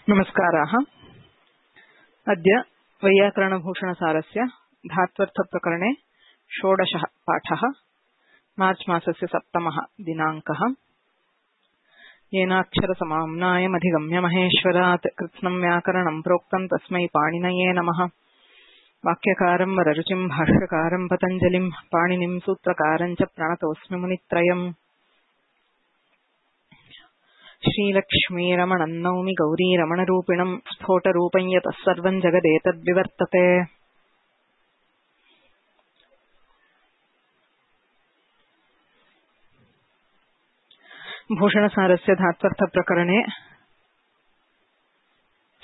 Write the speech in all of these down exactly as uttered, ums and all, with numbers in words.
नमस्काराः। अद्य वैयाकरणभूषणसारस्य धात्वर्थप्रकरणे षोडशः पाठः। मार्च मासस्य सप्तमः दिनाङ्कः। येनाक्षरसमाम्नायमधिगम्य महेश्वरात् कृत्स्नं व्याकरणं प्रोक्तं तस्मै पाणिनये नमः। वाक्यकारं वररुचिं भाष्यकारं पतञ्जलिं पाणिनिं सूत्रकारं च प्रणतोऽस्मि मुनित्रयम्। श्रीलक्ष्मीरमणं नौमि गौरीरमणरूपिणं स्फोटरूपं यतः सर्वं जगदेतद्विवर्तते। भूषणसारस्य धात्वर्थप्रकरणे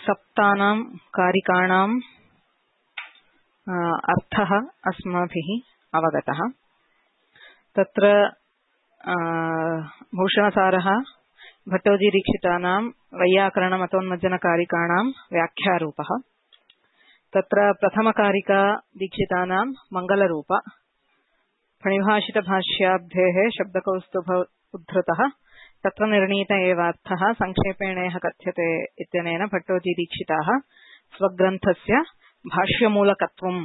सप्तानां कारिकाणाम् अर्थः अस्माभिः अवगतः। तत्र भूषणसारः भट्टोजीदीक्षितानां वैयाकरणमतोन्मज्जनकारिकाणां व्याख्यारूपः। तत्र प्रथमकारिका दीक्षितानां मङ्गलरूप, फणिभाषितभाष्याब्धेः शब्दकौस्तुभ उद्धृतः तत्र निर्णीत एवार्थः संक्षेपेणेह कथ्यते इत्यनेन भट्टोजीदीक्षिताः स्वग्रन्थस्य भाष्यमूलकत्वं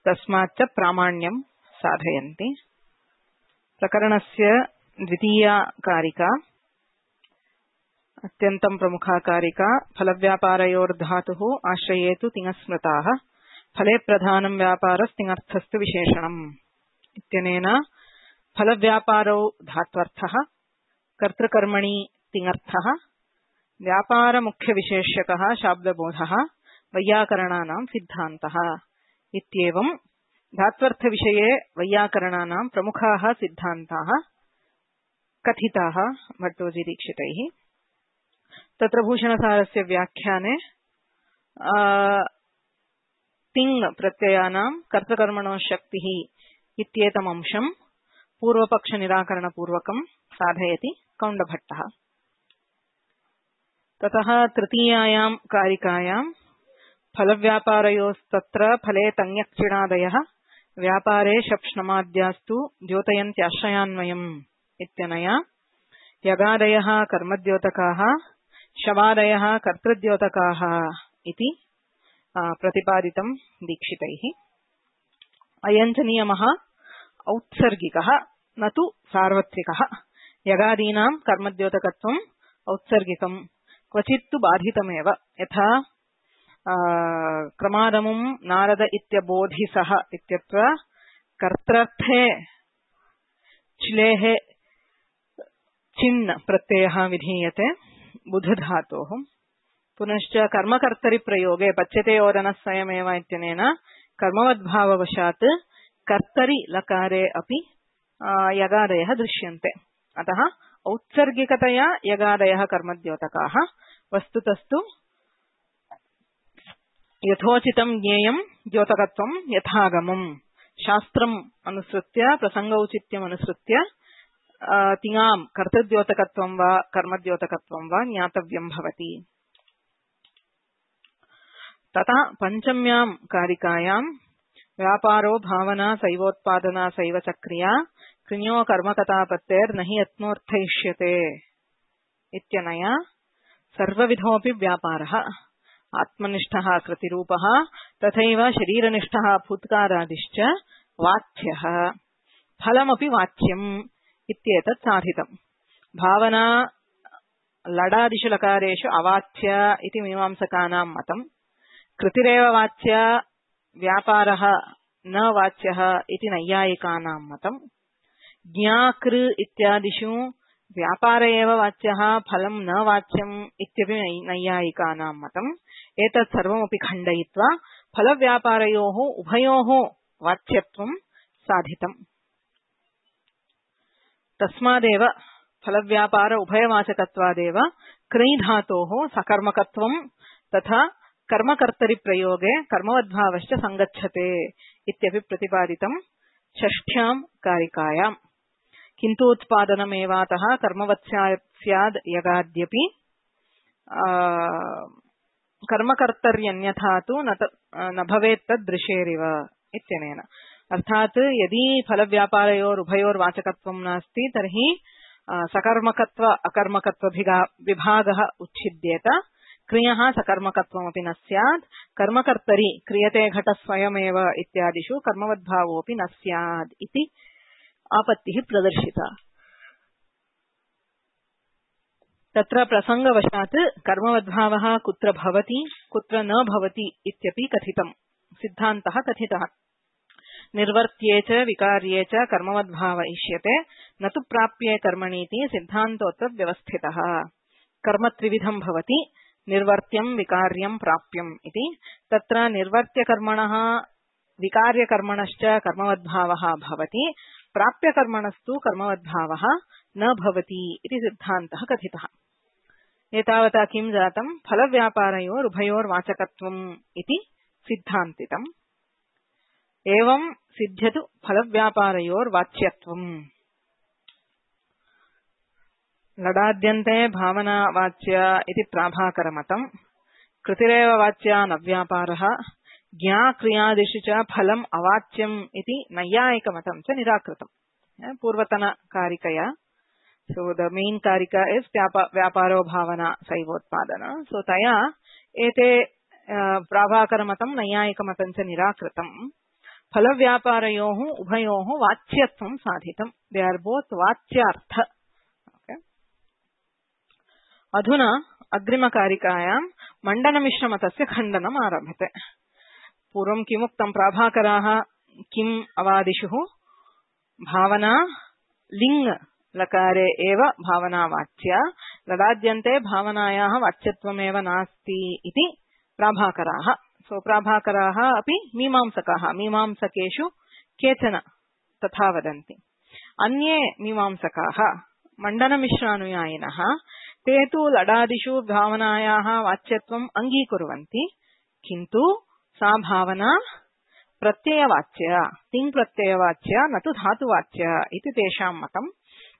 तस्माच्च प्रामाण्यं साधयन्ति। प्रकरणस्य द्वितीया कारिका अत्यन्तं प्रमुखा कारिका। फलव्यापारयोर्धातुः आश्रयेतु तिङस्मृताः फले प्रधानं व्यापारस्तिङर्थस्तु विशेषणम् इत्यनेन फलव्यापारौ धात्वर्थः, कर्तृकर्मणि तिङर्थः, व्यापारमुख्यविशेष्यकः शाब्दबोधः वैयाकरणानां सिद्धान्तः इत्येवं धात्वर्थविषये वैयाकरणानां प्रमुखाः सिद्धान्ताः कथिताः भट्टोजीदीक्षितैः। तत्र भूषणसारस्य व्याख्याने तिङ् प्रत्ययानां कर्तृकर्मणो शक्तिः इत्येतम् अंशं पूर्वपक्षनिराकरणपूर्वकं साधयति कौण्डभट्टः। ततः तृतीयायां कारिकायां फलव्यापारयोस्तत्र फले तङ्यक्चिणादयः व्यापारे शप्ष्णमाद्यास्तु द्योतयन्त्याश्रयान्वयम् इत्यनया यगादयः कर्मद्योतकाः शवादयः कर्तृद्योतकाः इति प्रतिपादितं दीक्षितैः। अयञ्च नियमः औत्सर्गिकः न तु सार्वत्रिकः। यगादीनां कर्मद्योतकत्वम् औत्सर्गिकं, क्वचित्तु बाधितमेव। यथा क्रमादमुं नारद इत्यबोधिसः इत्यत्र कर्त्रर्थे चिलेः चिन् प्रत्ययः विधीयते बुधधातोः। पुनश्च कर्मकर्तरिप्रयोगे पच्यते ओदनः स्वयमेव इत्यनेन कर्मवद्भाववशात् कर्तरि लकारे अपि यगादयः दृश्यन्ते। अतः औत्सर्गिकतया यगादयः कर्मद्योतकाः। वस्तुतस्तु यथोचितं ज्ञेयं द्योतकत्वं यथागमं शास्त्रम् अनुसृत्य प्रसङ्गौचित्यम् अनुसृत्य तिङां कर्तृद्योतकत्वं वा कर्मद्योतकत्वं वा ज्ञातव्यं भवति। तथा पञ्चम्यां कारिकायां व्यापारो भावना सैवोत्पादना सैव चक्रिया कृण्यो कर्मकथापत्तेर्न हि यत्नोऽर्थयिष्यते इत्यनया सर्वविधोऽपि व्यापारः आत्मनिष्ठः कृतिरूपः तथैव शरीरनिष्ठः फूत्कारादिश्च वाच्यः फलमपि वाच्यम् इत्येतत् साधितम्। भावना लडादिषु लकारेषु अवाच्य इति मीमांसकानां मतम्। कृतिरेव वाच्य व्यापारः न वाच्यः इति नैयायिकानां मतम्। ज्ञाकृ इत्यादिषु व्यापार एव वाच्यः फलं न वाच्यम् इत्यपि नैयायिकानां मतम्। एतत् सर्वमपि खण्डयित्वा फलव्यापारयोः उभयोः वाच्यत्वं साधितम्। तस्मादेव फलव्यापार उभयवाचकत्वादेव क्रै धातोः सकर्मकत्वं तथा कर्मकर्तरिप्रयोगे कर्मवद्भावश्च सङ्गच्छते इत्यपि प्रतिपादितं षष्ठ्यां कारिकायाम्। किन्तु उत्पादनमेवातः कर्मवत् स्याद् यगाद्यपि कर्मकर्तर्यन्यथा तु न भवेत् तद्दृशेरिव इत्यनेन। अर्थात यदि फलव्यापारयोरुभयोर्वाचकत्वं नास्ति तर्हि सकर्मकत्व अकर्मकत्व विभागः उच्छिद्येत। क्रियः सकर्मकत्वमपि न स्यात् कर्मकर्तरि क्रियते घटस्वयमेव इत्यादिषु कर्मवद्भावोऽपि न स्यात् इति आपत्तिः प्रदर्शिता। तत्र प्रसंगवशात् कर्मवद्भावः कुत्र भवति कुत्र न भवति इत्यपि कथितम्। सिद्धान्तः कथितः निर्वर्त्ये च विकार्ये च कर्मवद्भाव इष्यते न तु प्राप्ये कर्मणीति सिद्धान्तोऽत्र व्यवस्थितः। कर्म त्रिविधं भवति निर्वर्त्यं विकार्यं प्राप्यम् इति। तत्र निर्वर्त्यकर्मणः विकार्यकर्मणश्च कर्मवद्भावः भवति प्राप्यकर्मणस्तु कर्मवद्भावः न भवति इति सिद्धान्तः कथितः। एतावता किं जातं फलव्यापारयोरुभयोर्वाचकत्वम् इति सिद्धान्तितम्। एवं सिद्ध्यतु फलव्यापारयोर्वाच्यत्वम्। लडाद्यन्ते भावनावाच्य इति प्राभाकरमतम्। कृतिरेव वाच्या न व्यापारः ज्ञाक्रियादिषु च फलम् अवाच्यम् इति नैयायिकमतं च निराकृतम्। पूर्वतनकारिकया so the main karika is vyaparo bhavana saivotpadana. So taya ete prabhakaramatam nayayikamatam cha nirakritam phalavyaparayoh ubhayoh vachyatvam sadhitam. They are both vachyartha. Okay. Adhuna agrima karikayam mandana mishramatasya khandanam arabhate. Purvam kimuktam prabhakaraha kim avadishuh bhavana ling लकारे एव भावनावाच्या लडाद्यन्ते भावनायाः वाच्यत्वमेव नास्ति इति प्राभाकराः। सो प्राभाकराः अपि मीमांसकाः। मीमांसकेषु केचन तथा वदन्ति। अन्ये मीमांसकाः मण्डनमिश्रानुयायिनः ते तु लडादिषु भावनायाः वाच्यत्वम् अङ्गीकुर्वन्ति किन्तु सा भावना प्रत्ययवाच्या तिङ् प्रत्ययवाच्या न तु धातुवाच्या इति तेषां मतम्।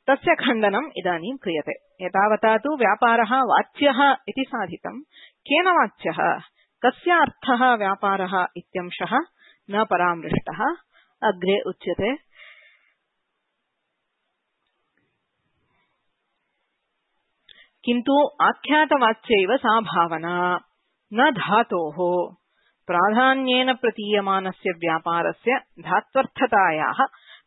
तस्य खण्डनम् इदानीं क्रियते। एतावता तु व्यापारः वाच्यः इति साधितम्। केन वाच्यः कस्य अर्थः व्यापारः इत्यंशः न परामृष्टः। अग्रे उच्यते किन्तु आख्यातवाच्यैव सा भावना न धातोः प्राधान्येन प्रतीयमानस्य व्यापारस्य धात्वर्थतायाः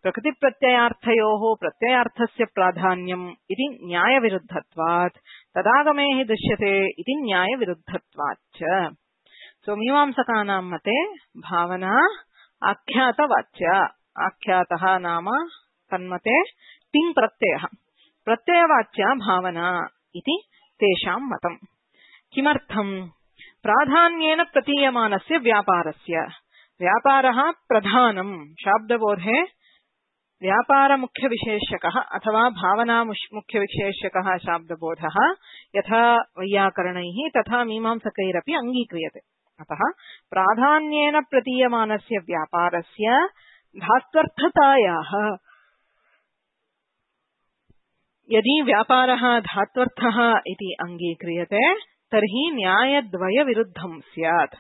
प्रकृतिप्रत्ययार्थयोः प्रत्ययार्थस्य प्राधान्यम् इति न्यायविरुद्धत्वात् तदागमे हि दृश्यते इति न्यायविरुद्धत्वाच्च। सो मीमांसकानां मते भावना आख्यातवाच्या। आख्यातः नाम तन्मते तिङ् प्रत्ययः प्रत्ययवाच्या भावना इति तेषां मतम्। किमर्थम् प्राधान्येन प्रतीयमानस्य व्यापारस्य व्यापारः प्रधानम् शाब्दबोधे व्यापार मुख्य विशेषकः अथवा भावना मुख्य विशेषकः शाब्दबोधः यथा वैयाकरणैः तथा मीमांसकैरपि अङ्गीक्रियते। अतः प्राधान्येन प्रतीयमानस्य व्यापारस्य धात्वर्थतायाः यदि व्यापारः धात्वर्थः इति अङ्गीक्रियते तर्हि न्यायद्वयविरुद्धं स्यात्।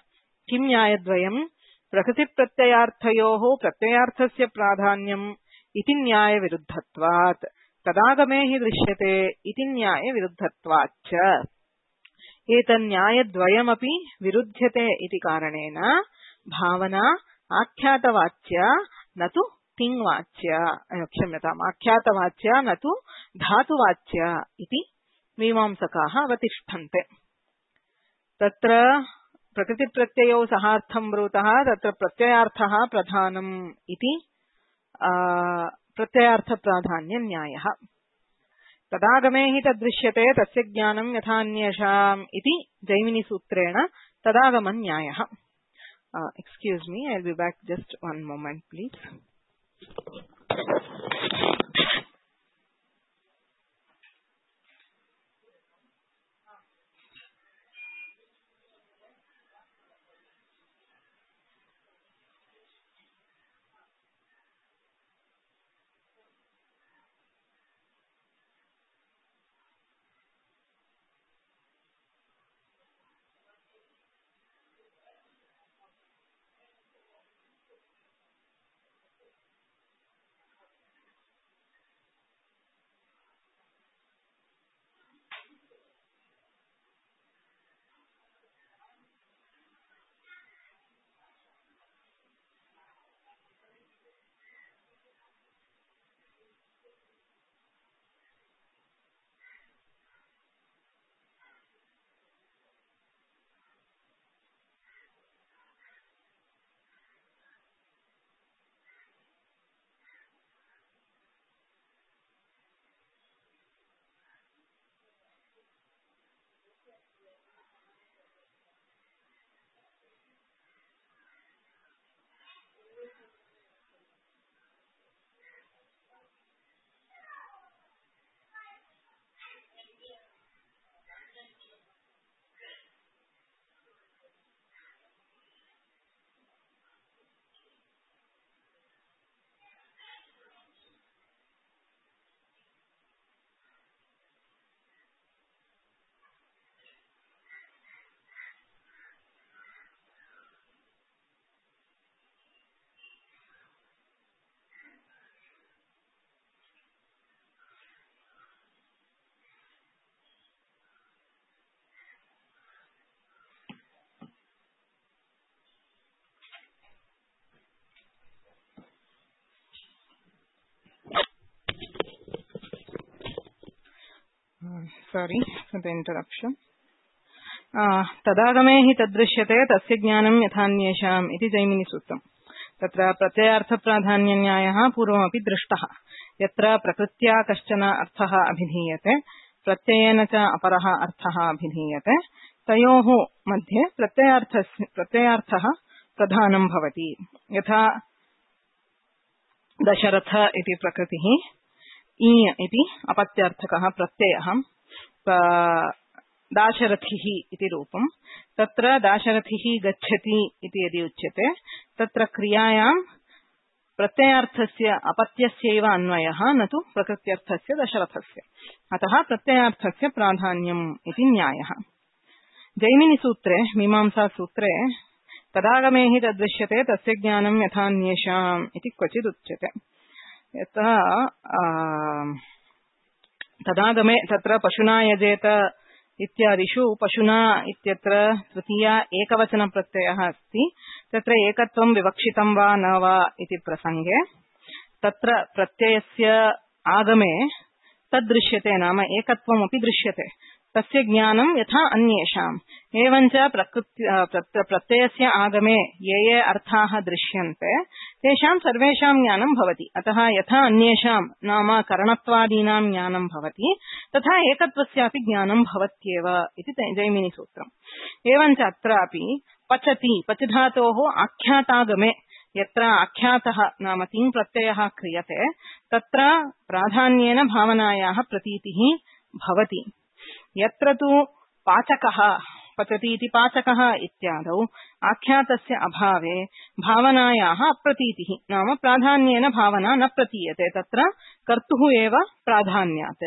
किं न्यायद्वयम् प्रकृतिप्रत्ययार्थयोः प्रत्ययार्थस्य प्राधान्यम् इति न्यायविरुद्धत्वात् तदागमे हि दृश्यते इति न्यायविरुद्धत्वाच्च। एतन्न्यायद्वयमपि विरुध्यते इति कारणेन भावना आख्यातवाच्या न तु तिङ्वाच्या क्षम्यताम् आख्यातवाच्या न तु धातुवाच्या इति मीमांसकाः अवतिष्ठन्ते। तत्र प्रकृतिप्रत्ययौ सहार्थं ब्रूतः तत्र प्रत्ययार्थः प्रधानम् इति प्रत्ययार्थ प्राधान्य न्यायः। तदागमे हि तदृश्यते तस्य ज्ञानं यथान्येषाम् इति जैमिनी सूत्रेण तदागम न्यायः। Excuse me, I will be back just one moment please. sorry for the interruption. तदागमे हि तदृश्यते तस्य ज्ञानं यथान्येषाम् इति जैमिनिसूत्रम्. तत्र प्रत्ययार्थप्राधान्यन्यायः पूर्वमपि दृष्टः. यत्र प्रकृत्या कश्चन अर्थः अभिधीयते प्रत्ययेन च अपरः अर्थः अभिधीयते तयोः मध्ये प्रत्ययार्थस्य प्रत्ययार्थः प्रधानं भवति. यथा दशरथ इति प्रकृतिः, ईय इति अपत्यार्थकः प्रत्ययः, दाशरथिः इति रूपम्. तत्र दाशरथिः गच्छति इति यदि उच्यते तत्र क्रियायां प्रत्ययार्थस्य अपत्यस्यैव अन्वयः न तु प्रकृत्यर्थस्य दशरथस्य. अतः प्रत्ययार्थस्य प्राधान्यम् इति न्यायः. जैमिनिसूत्रे मीमांसासूत्रे तदागमे हि तद्दृश्यते तस्य ज्ञानं यथान्येषाम् इति क्वचित् उच्यते. यतः तदागमे तत्र पशुना यजेत इत्यादिषु पशुना इत्यत्र तृतीया एकवचनप्रत्ययः अस्ति. तत्र एकत्वं विवक्षितं वा न वा इति प्रसङ्गे तत्र प्रत्ययस्य आगमे तद्दृश्यते नाम एकत्वमपि दृश्यते. तस्य ज्ञानं यथा अन्येषाम्. एवञ्च प्रत्ययस्य आगमे ये ये अर्थाः दृश्यन्ते तेषां सर्वेषां ज्ञानं भवति. अतः यथा अन्येषां नाम करणत्वादीनां ज्ञानं भवति तथा एकत्वस्यापि ज्ञानं भवत्येव इति जैमिनिसूत्रम्. एवञ्च अत्रापि पचति पचधातोः आख्यातागमे यत्र आख्यातः नाम तिङ् प्रत्ययः क्रियते तत्र प्राधान्येन भावनायाः प्रतीतिः भवति. यत्र तु पाचकः पचति इति पाचकः इत्यादौ आख्यातस्य अभावे भावनायाः अप्रतीतिः नाम प्राधान्येन भावना न प्रतीयते. तत्र कर्तुः एव प्राधान्यात्.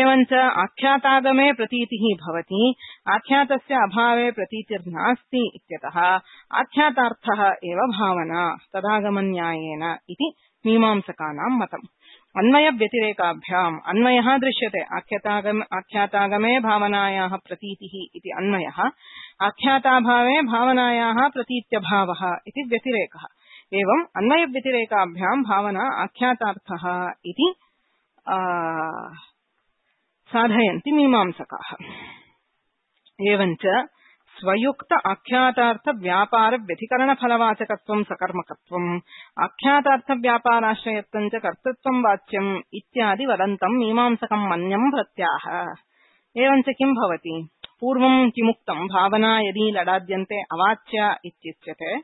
एवञ्च आख्यातागमे प्रतीतिः भवति, आख्यातस्य अभावे प्रतीतिर्नास्ति इत्यतः आख्यातार्थः एव भावना तदागमन्यायेन इति मीमांसकानां मतम्. अन्वय व्यतिरेकाभ्याम् अन्वयः दृश्यते. आख्यातागम आख्यातागमे भावनायाः प्रतीतिः इति अन्वयः, आख्याताभावे भावनायाः प्रतीत्यभावः इति व्यतिरेकः. एवम् अन्वय व्यतिरेकाभ्याम् भावना आख्यातार्थः इति साधयन्ति मीमांसकाः. एवञ्च स्वयुक्त आख्यातार्थ व्यापार व्यतिकरण फलवाचकत्वं सकर्मकत्वम् आख्यातार्थ व्यापाराश्रयत्वं च कर्तृत्वं वाच्यम् इत्यादि वदन्तं मीमांसकं मन्यं प्रत्याह. एवञ्च किं भवति? पूर्वं किमुक्तं भावना यदि लडाद्यन्ते अवाच्य इत्युच्यते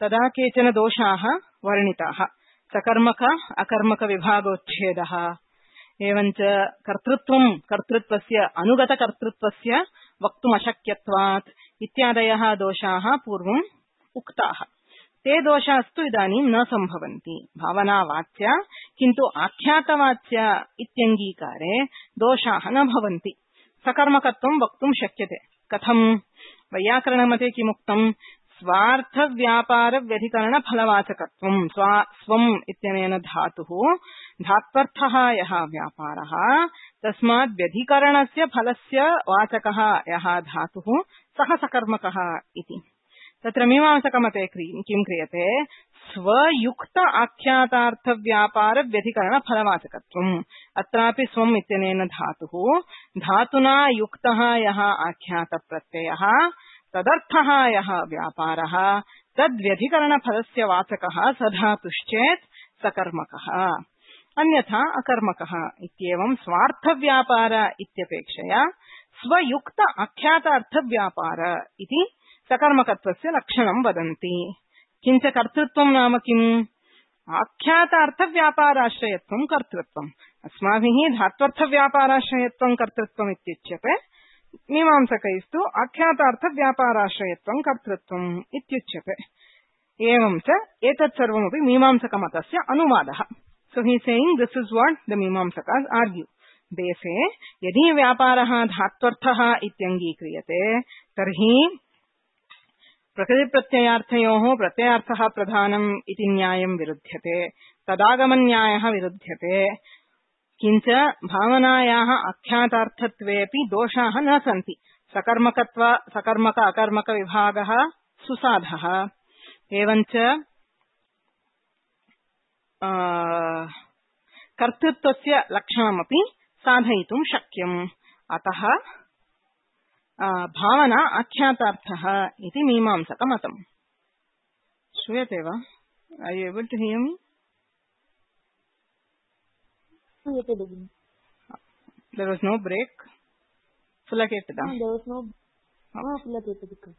तदा केचन दोषाः वर्णिताः. सकर्मक अकर्मक विभागोच्छेदः, एवञ्च कर्तृत्वं कर्तृत्वस्य अनुगतकर्तृत्वस्य वक्तुमशक्यत्वात् इत्यादयः दोषाः पूर्वम् उक्ताः. ते दोषास्तु इदानीं न सम्भवन्ति. भावनावाच्या किन्तु आख्यातवाच्या इत्यङ्गीकारे दोषाः न भवन्ति. सकर्मकत्वं वक्तुं शक्यते. कथं? वैयाकरणमते किमुक्तं? स्वार्थ व्यापार व्यधिकरण फलवाचकत्वं. स्वा स्वम् इत्यनेन धातुः धात्वर्थः यः व्यापारः तस्मात् व्यधिकरणस्य फलस्य वाचकः यः धातुः सः सकर्मकः इति. तत्र मीमांसकमते किं क्रियते? स्वयुक्त आख्यातार्थ व्यापार व्यधिकरण फलवाचकत्वम्. अत्रापि स्वम् इत्यनेन धातुः धातुना युक्तः यः आख्यातप्रत्ययः तदर्थः यः व्यापारः तद्व्यधिकरणफलस्य वाचकः स धातुश्चेत् सकर्मकः, अन्यथा अकर्मकः इत्येवं स्वार्थव्यापार इत्यपेक्षया स्वयुक्त आख्यातार्थव्यापार इति सकर्मकत्वस्य लक्षणं वदन्ति. किञ्च कर्तृत्वं नाम किम्? आख्यातार्थव्यापाराश्रयत्वं कर्तृत्वम्. अस्माभिः धात्वर्थव्यापाराश्रयत्वं कर्तृत्वम् इत्युच्यते. मीमांसकैस्तु आख्यातार्थव्यापाराश्रयत्वं कर्तृत्वम् इत्युच्यते. एवं च एतत् सर्वमपि मीमांसकमतस्य अनुवादः. So he is saying this is what the Mimamsakas argue. They say यदि व्यापारः धात्वर्थः इत्यङ्गीक्रियते तर्हि प्रकृतिप्रत्ययार्थयोः प्रत्ययार्थः प्रधानम् इति न्यायं विरुध्यते, तदागमन्यायः विरुध्यते. किञ्च भावनायाः आख्यातार्थत्वेऽपि दोषाः न सन्ति. सकर्मकत्व सकर्मक अकर्मक विभागः सुसाधः. एवञ्च कर्तृत्वस्य लक्षणमपि साधयितुं शक्यम्. अतः भावना आख्यातार्थः इति मीमांसकमतम्। श्रूयते वा? Are you able to hear me? There was no break. Full kettada? No, there was no. No, full kettada.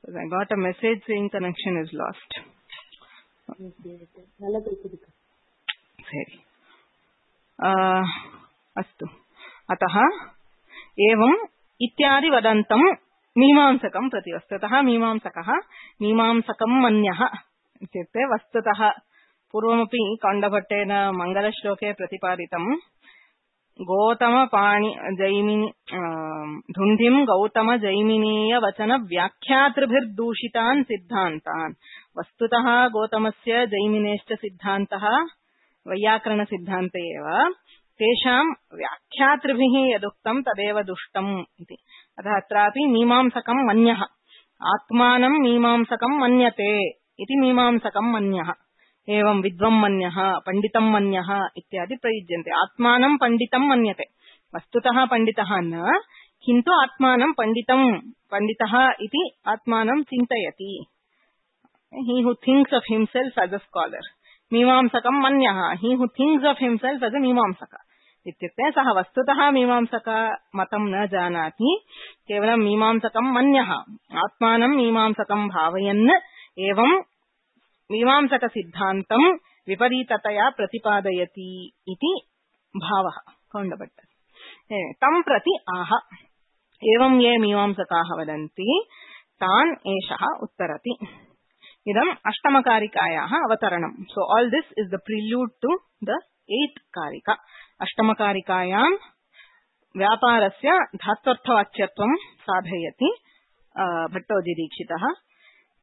I got a message saying connection is lost. Yes, yes. Nalla kettada. Sari. Uh, अस्तु। अतः एवम् इत्यादि वदन्तं मीमांसकं प्रति। वस्तुतः मीमांसकः मीमांसकं मन्यः इत्युक्ते वस्तुतः पूर्वमपि कौण्डभट्टेन मङ्गलश्लोके प्रतिपादितं गौतमपाणि जैमिनि धुन्धिं गौतम जैमिनीय वचन व्याख्यातृभिर्दूषितान् सिद्धान्तान्। वस्तुतः गौतमस्य जैमिनेश्च सिद्धान्तः वैयाकरण सिद्धान्ते एव, तेषां व्याख्यातृभिः यदुक्तं तदेव दुष्टम् इति। अतः अत्रापि मीमांसकं मन्यः आत्मानं मीमांसकं मन्यते इति मीमांसकं मन्यः। एवं विद्वं मन्यः पंडितं मन्यः इत्यादि प्रयुज्यन्ते। आत्मानं पंडितं मन्यते, वस्तुतः पंडितः न, किन्तु आत्मानं पंडितं पंडितः इति आत्मानं चिन्तयति। he who thinks of himself as a scholar। मीमांसकं मन्यः he who thinks of himself as a मीमांसक। इत्युक्ते सः वस्तुतः मीमांसक मतं न जानाति, केवलं मीमांसकं मन्यः आत्मानं मीमांसकं भावयन् एवं मीमांसक सिद्धान्तं विपरीततया प्रतिपादयति इति भावः कौण्डभट्ट। तं प्रति आह। एवं ये मीमांसकाः वदन्ति तान् एषः उत्तरति। इदम् अष्टमकारिकायाः अवतरणम्। So all this is the prelude to the eighth कारिका। अष्टमकारिकायां व्यापारस्य धात्वर्थवाच्यत्वं साधयति भट्टोजिदीक्षितः।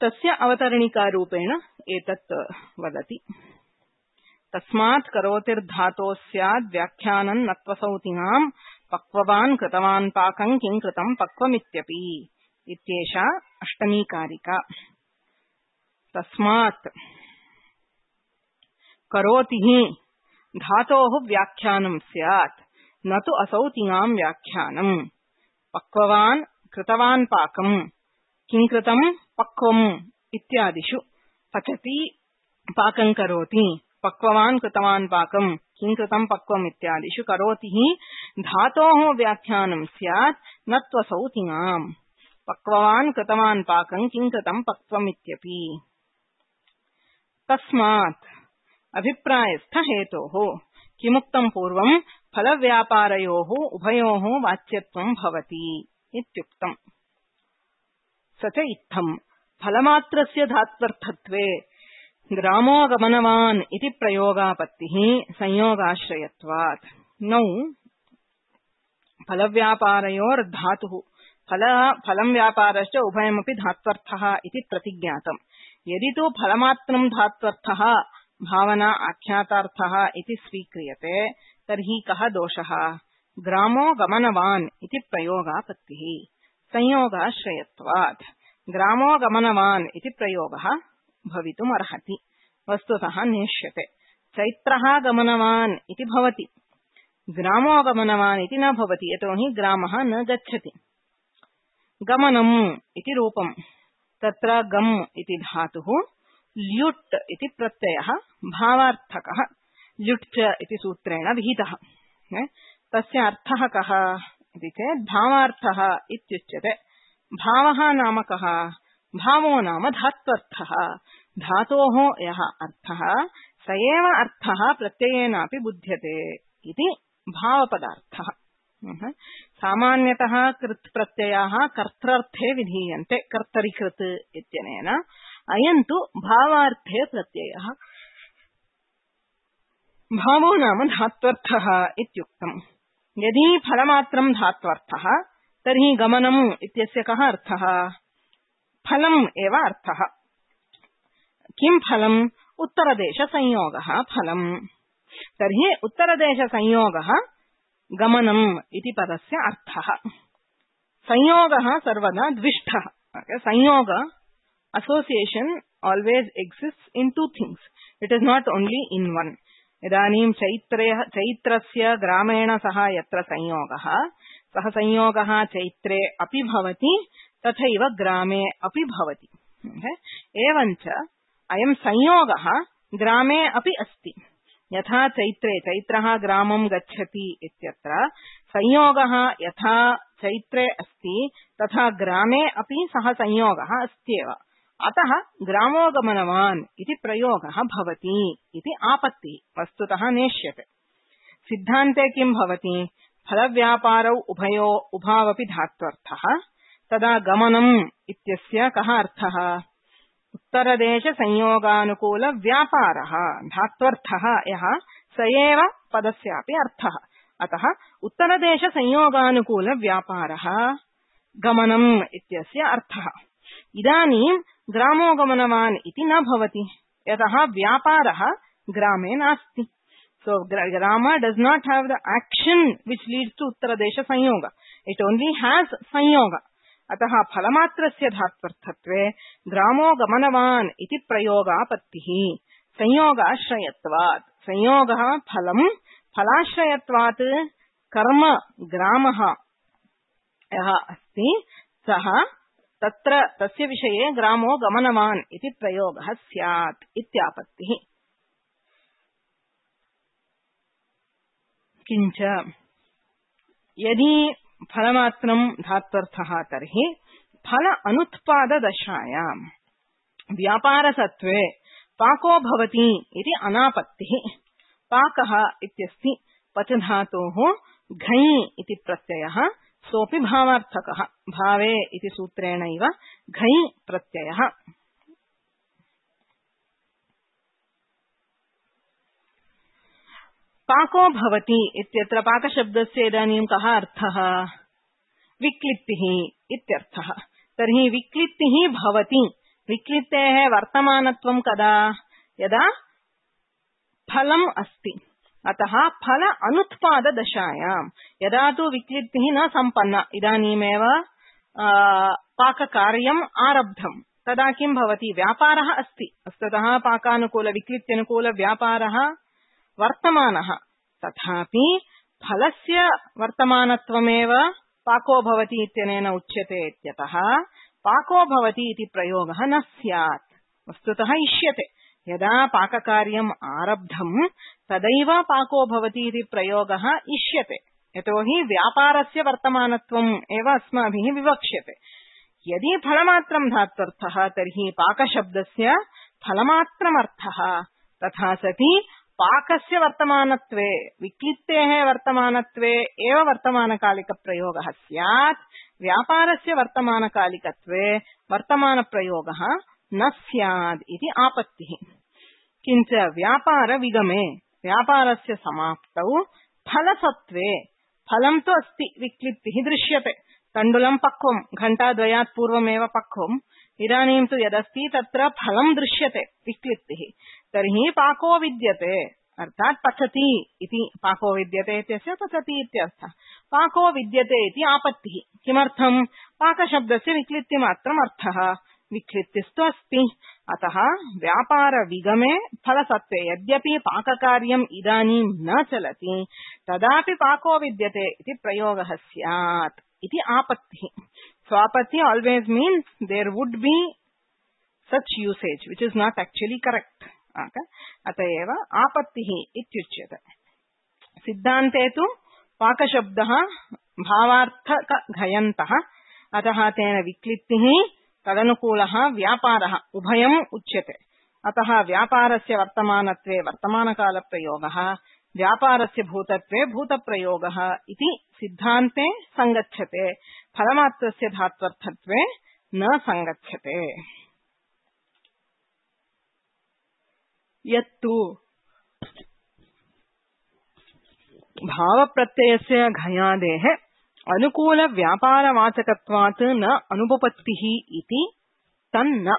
तस्य अवतरणिकारूपेण एतत् वदति। तस्मात् करोतिर्धातोः स्याद् व्याख्यानं नत्वसौतिनां पक्ववान् कृतवान् पाकं किं कृतं पक्वमित्यपि इत्येषा अष्टमी कारिका। तस्मात् करोतिः धातोः व्याख्यानं स्यात् न तु असौतिनां व्याख्यानं। पक्ववान् कृतवान् पाकं किं कृतं पक्वम् इत्यादिषु पचति पाकं करोति, पक्ववान् कृतवान् पाकं किं कृतं पक्वम् इत्यादिषु करोतिः धातोः व्याख्यानं स्यात् न त्वसौतिनां। पक्ववान् कृतवान् पाकं किं कृतं पक्वम् इत्यपि। तस्मात् अभिप्रायस्थ हेतोः किमुक्तं पूर्वं फलव्यापारयोः उभयोः वाच्यत्वं भवति इत्युक्तम्। स च इत्थं फलमात्रस्य धात्वर्थत्वे ग्रामोगमनवान् इति प्रयोगापत्तिः संयोगाश्रयत्वात्। नौ फलव्यापारयोर्धातुः फल फलं व्यापारश्च उभयमपि धात्वर्थः इति प्रतिज्ञातम्। यदि तु फलमात्रं धात्वर्थः भावना आख्यातार्थः इति स्वीक्रियते तर्हि कः दोषः? ग्रामो गमनवान् इति प्रयोगापत्तिः संयोगाश्रयत्वात्। ग्रामो गमनवान् इति प्रयोगः भवितुमर्हति, वस्तुतः नेष्यते। चैत्रः गमनवान् इति भवति, ग्रामो गमनवान् इति न भवति, यतोहि ग्रामः न गच्छति। गमनम् इति रूपम्, तत्र गम् इति धातुः, ल्युट् इति प्रत्ययः भावार्थकः, ल्युट् इति सूत्रेण विहितः। तस्य अर्थः कः इति चेत् भावार्थः इत्युच्यते। भावः नाम कः? भावो नाम धात्वर्थः। धातोः यः अर्थः स एव अर्थः प्रत्ययेनापि बुध्यते इति भावपदार्थः। सामान्यतः कृत् प्रत्ययाः कर्तृर्थे विधीयन्ते कर्तरिकृत् इत्यनेन। अयं तु भावार्थे प्रत्ययः। भावो नाम धात्वर्थः इत्युक्तम्। यदि फलमात्रं धात्वर्थः तर्हि गमनम् इत्यस्य कः अर्थः? फलम् एव अर्थः। किं फलम्? उत्तरदेशसंयोगः फलम्। तर्हि उत्तरदेशसंयोगः गमनम् इति पदस्य अर्थः। संयोगः सर्वदा द्विष्ठः। संयोग association always exists in two things. It is not only in one. इदानीं चैत्रे चैत्रस्य ग्रामेण सह यत्र संयोगः सः संयोगः चैत्रे अपि भवति तथैव ग्रामे अपि भवति। एवञ्च अयं संयोगः ग्रामे अपि अस्ति। यथा चैत्रे चैत्रः ग्रामं गच्छति इत्यत्र संयोगः यथा चैत्रे अस्ति तथा ग्रामे अपि सः संयोगः अस्त्येव। अतः ग्रामोगमनवान् इति प्रयोगः भवति इति आपत्तिः वस्तुतः नेष्यते। सिद्धान्ते किं भवति? फलव्यापारौ उभयो उभावपि धात्वर्थः तदा गमनम् इत्यस्य कः अर्थः? उत्तरदेश संयोगानुकूल व्यापारः धात्वर्थः यः स एव पदस्यापि अर्थः। अतः उत्तरदेश संयोगानुकूल व्यापारः गमनम् इत्यस्य अर्थः। इदानीं ग्रामोगमनवान् इति न भवति यतः व्यापारः ग्रामे नास्ति। So Rama does not have the action which leads to Uttaradesha Sanyoga. It only has Sanyoga. अतः फलमात्रस्य धात्वर्थत्वे ग्रामो गमनवान् इति प्रयोगापत्तिः संयोगाश्रयत्वात्। संयोगः फलम्, फलाश्रयत्वात् कर्म ग्रामः यः अस्ति सः तत्र तस्य विषये ग्रामो गमनवान् इति प्रयोगः स्यात् इत्यापत्तिः। किञ्च यदि फलमात्रं धात्वर्थः तर्हि फल अनुत्पाददशायां व्यापारसत्त्वे पाको भवति इति अनापत्तिः। पाकः इत्यस्ति पचधातोः घञ् इति प्रत्ययः, सोऽपि भावार्थकः। भावे इति सूत्रेणैव घञ् प्रत्ययः। पाको भवति इत्यत्र पाकशब्दस्य इदानीं कः अर्थः? विक्लित्तिः इत्यर्थः। तर्हि विक्लित्तिः भवति। विक्लित्तेः वर्तमानत्वं कदा? यदा फलम् अस्ति। अतः फल अनुत्पाददशायां यदा तु विक्लित्तिः न सम्पन्ना, इदानीमेव पाककार्यम् आरब्धम्, तदा किं भवति? व्यापारः अस्ति। वस्तुतः पाकानुकूल विक्लित्त्यनुकूल व्यापारः वर्तमानः, तथापि फलस्य वर्तमानत्वमेव पाको भवति इत्यनेन उच्यते इत्यतः पाको भवति इति प्रयोगः न स्यात्। वस्तुतः इष्यते यदा पाककार्यम् आरब्धम् तदैव पाको भवति इति प्रयोगः इष्यते, यतोहि व्यापारस्य वर्तमानत्वम् एव अस्माभिः विवक्ष्यते। यदि फलमात्रं धात्वर्थः तर्हि पाकशब्दस्य फलमात्रमर्थः। तथा सति पाकस्य वर्तमानत्वे विक्लित्तेः वर्तमानत्वे एव वर्तमानकालिकप्रयोगः स्यात्। व्यापारस्य वर्तमानकालिकत्वे वर्तमानप्रयोगः न स्यात् इति आपत्तिः। किञ्च व्यापारविगमे व्यापारस्य समाप्तौ फलसत्त्वे फलं तु अस्ति, विक्लित्तिः दृश्यते। तण्डुलं पक्वं, घण्टाद्वयात् पूर्वमेव पक्वम्, इदानीं तु यदस्ति तत्र फलं दृश्यते, विक्लित्तिः। तर्हि पाको विद्यते, अर्थात् पचति इति। पाको विद्यते इत्यस्य पचति इत्यर्थः। पाको विद्यते इति आपत्तिः। किमर्थम्? पाकशब्दस्य विक्लित्तिमात्रम् अर्थः, विक्लित्तिस्तु अस्ति। अतः व्यापारविगमे फलसत्त्वे यद्यपि पाककार्यम् इदानीं न चलति तदापि पाको विद्यते इति प्रयोगः स्यात् इति आपत्तिः। स्वापत्ति always means there would be such usage which is not actually correct. अतएव आपत्तिः इत्युच्यते। सिद्धान्ते तु पाकशब्दः भावार्थकघयन्तः, अतः तेन विक्लित्तिः तदनुकूलः व्यापारः उभयम् उच्यते। अतः व्यापारस्य वर्तमानत्वे वर्तमानकालप्रयोगः, व्यापारस्य भूतत्वे भूतप्रयोगः इति सिद्धान्ते संगच्छते। फलमात्रस्य धात्वर्थत्वे न संगच्छते। यत्तु भावप्रत्ययस्य घयादेः अनुकूल व्यापारवाचकत्वात् न अनुपपत्तिः इति तन्न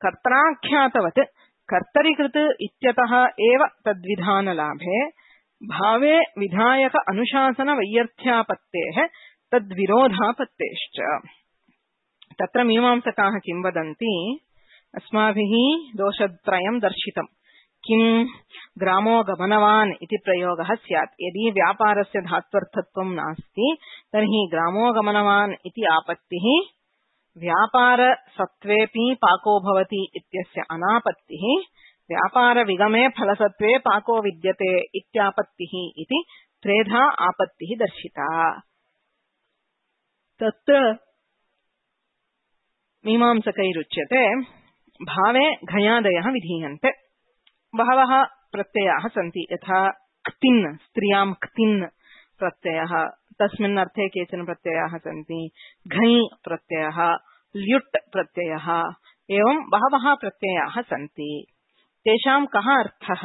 कर्त्राख्यातवत् कर्तरिकृत इत्यतः एव तद्विधानलाभे भावे विधायक अनुशासन वैयर्थ्यापत्तेः तद्विरोधापत्तेश्च। तत्र मीमांसकाः किं वदन्ति? अस्माभिः दोषत्रयं दर्शितम्। किं ग्रामो गमनवान् इति प्रयोगः स्यात्। यदि व्यापारस्य धात्वर्थत्वं नास्ति तर्हि ग्रामो गमनवान् इति आपत्तिः, व्यापारसत्त्वेऽपि पाको भवति इत्यस्य अनापत्तिः, व्यापारविगमे फलसत्त्वे पाको विद्यते इत्यापत्तिः इति त्रेधा आपत्तिः दर्शिता। तत्र मीमांसकैरुच्यते भावे घयादयः विधीयन्ते। बहवः प्रत्ययाः सन्ति, यथा क्तिन्, स्त्रियां क्तिन् प्रत्ययः, तस्मिन् अर्थे केचन प्रत्ययाः सन्ति, घञ् प्रत्ययः, ल्युट् प्रत्ययः, एवं बहवः प्रत्ययाः सन्ति। तेषां कः अर्थः?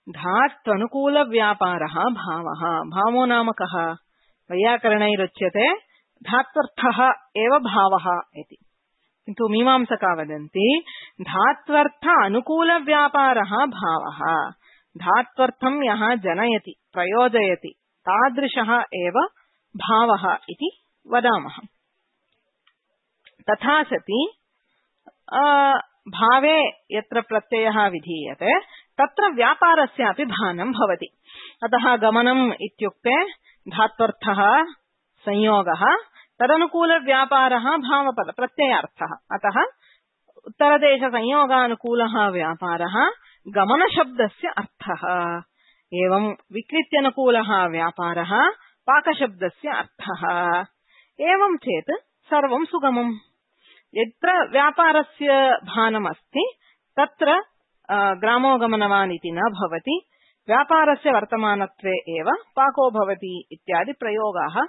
धात्वनुकूलव्यापारः भावः। भावो नाम कः? वैयाकरणैरुच्यते धात्वर्थः एव भावः इति, किन्तु मीमांसका वदन्ति धात्वर्थ अनुकूलव्यापारः भावः। धात्वर्थं यः जनयति प्रयोजयति तादृशः एव भावः इति वदामः। तथा सति भावे यत्र प्रत्ययः विधीयते तत्र व्यापारस्यापि भानं भवति। अतः गमनम् इत्युक्ते धात्वर्थः संयोगः, तदनुकूलव्यापारः भावपद प्रत्ययार्थः। अतः उत्तरदेशसंयोगानुकूलः व्यापारः गमनशब्दस्य अर्थः। एवं विकृत्यनुकूलः व्यापारः पाकशब्दस्य अर्थः। एवं चेत् सर्वं सुगमम्। यत्र व्यापारस्य भानमस्ति तत्र ग्रामो गमनवान् इति न भवति, व्यापारस्य वर्तमानत्वे एव पाको भवति इत्यादि प्रयोगाः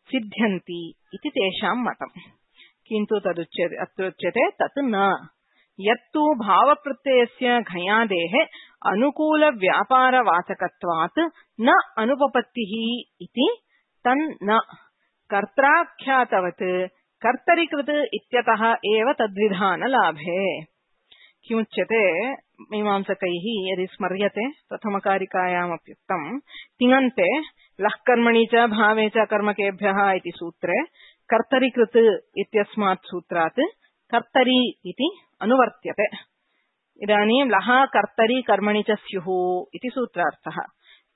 सिद्ध्यन्ति इति तेषां मतम्। किन्तु तदुच्यते अत्रुच्यते तत् न। यत्तु भावप्रत्ययस्य घयादेः अनुकूलव्यापारवाचकत्वात् न अनुपपत्तिः इति तन्न कर्त्राख्यातवत् कर्तरीकृत इत्यतः एव तद्विधानलाभे। किमुच्यते मीमांसकैः यदि स्मर्यते प्रथमकारिकायामप्युक्तं तिङन्ते लःकर्मणि च भावे च कर्मकेभ्यः इति सूत्रे कर्तरीकृत इत्यस्मात् सूत्रात् कर्तरी इति अनुवर्त्यते। इदानीं लः कर्तरी कर्मणि च स्युः इति सूत्रार्थः।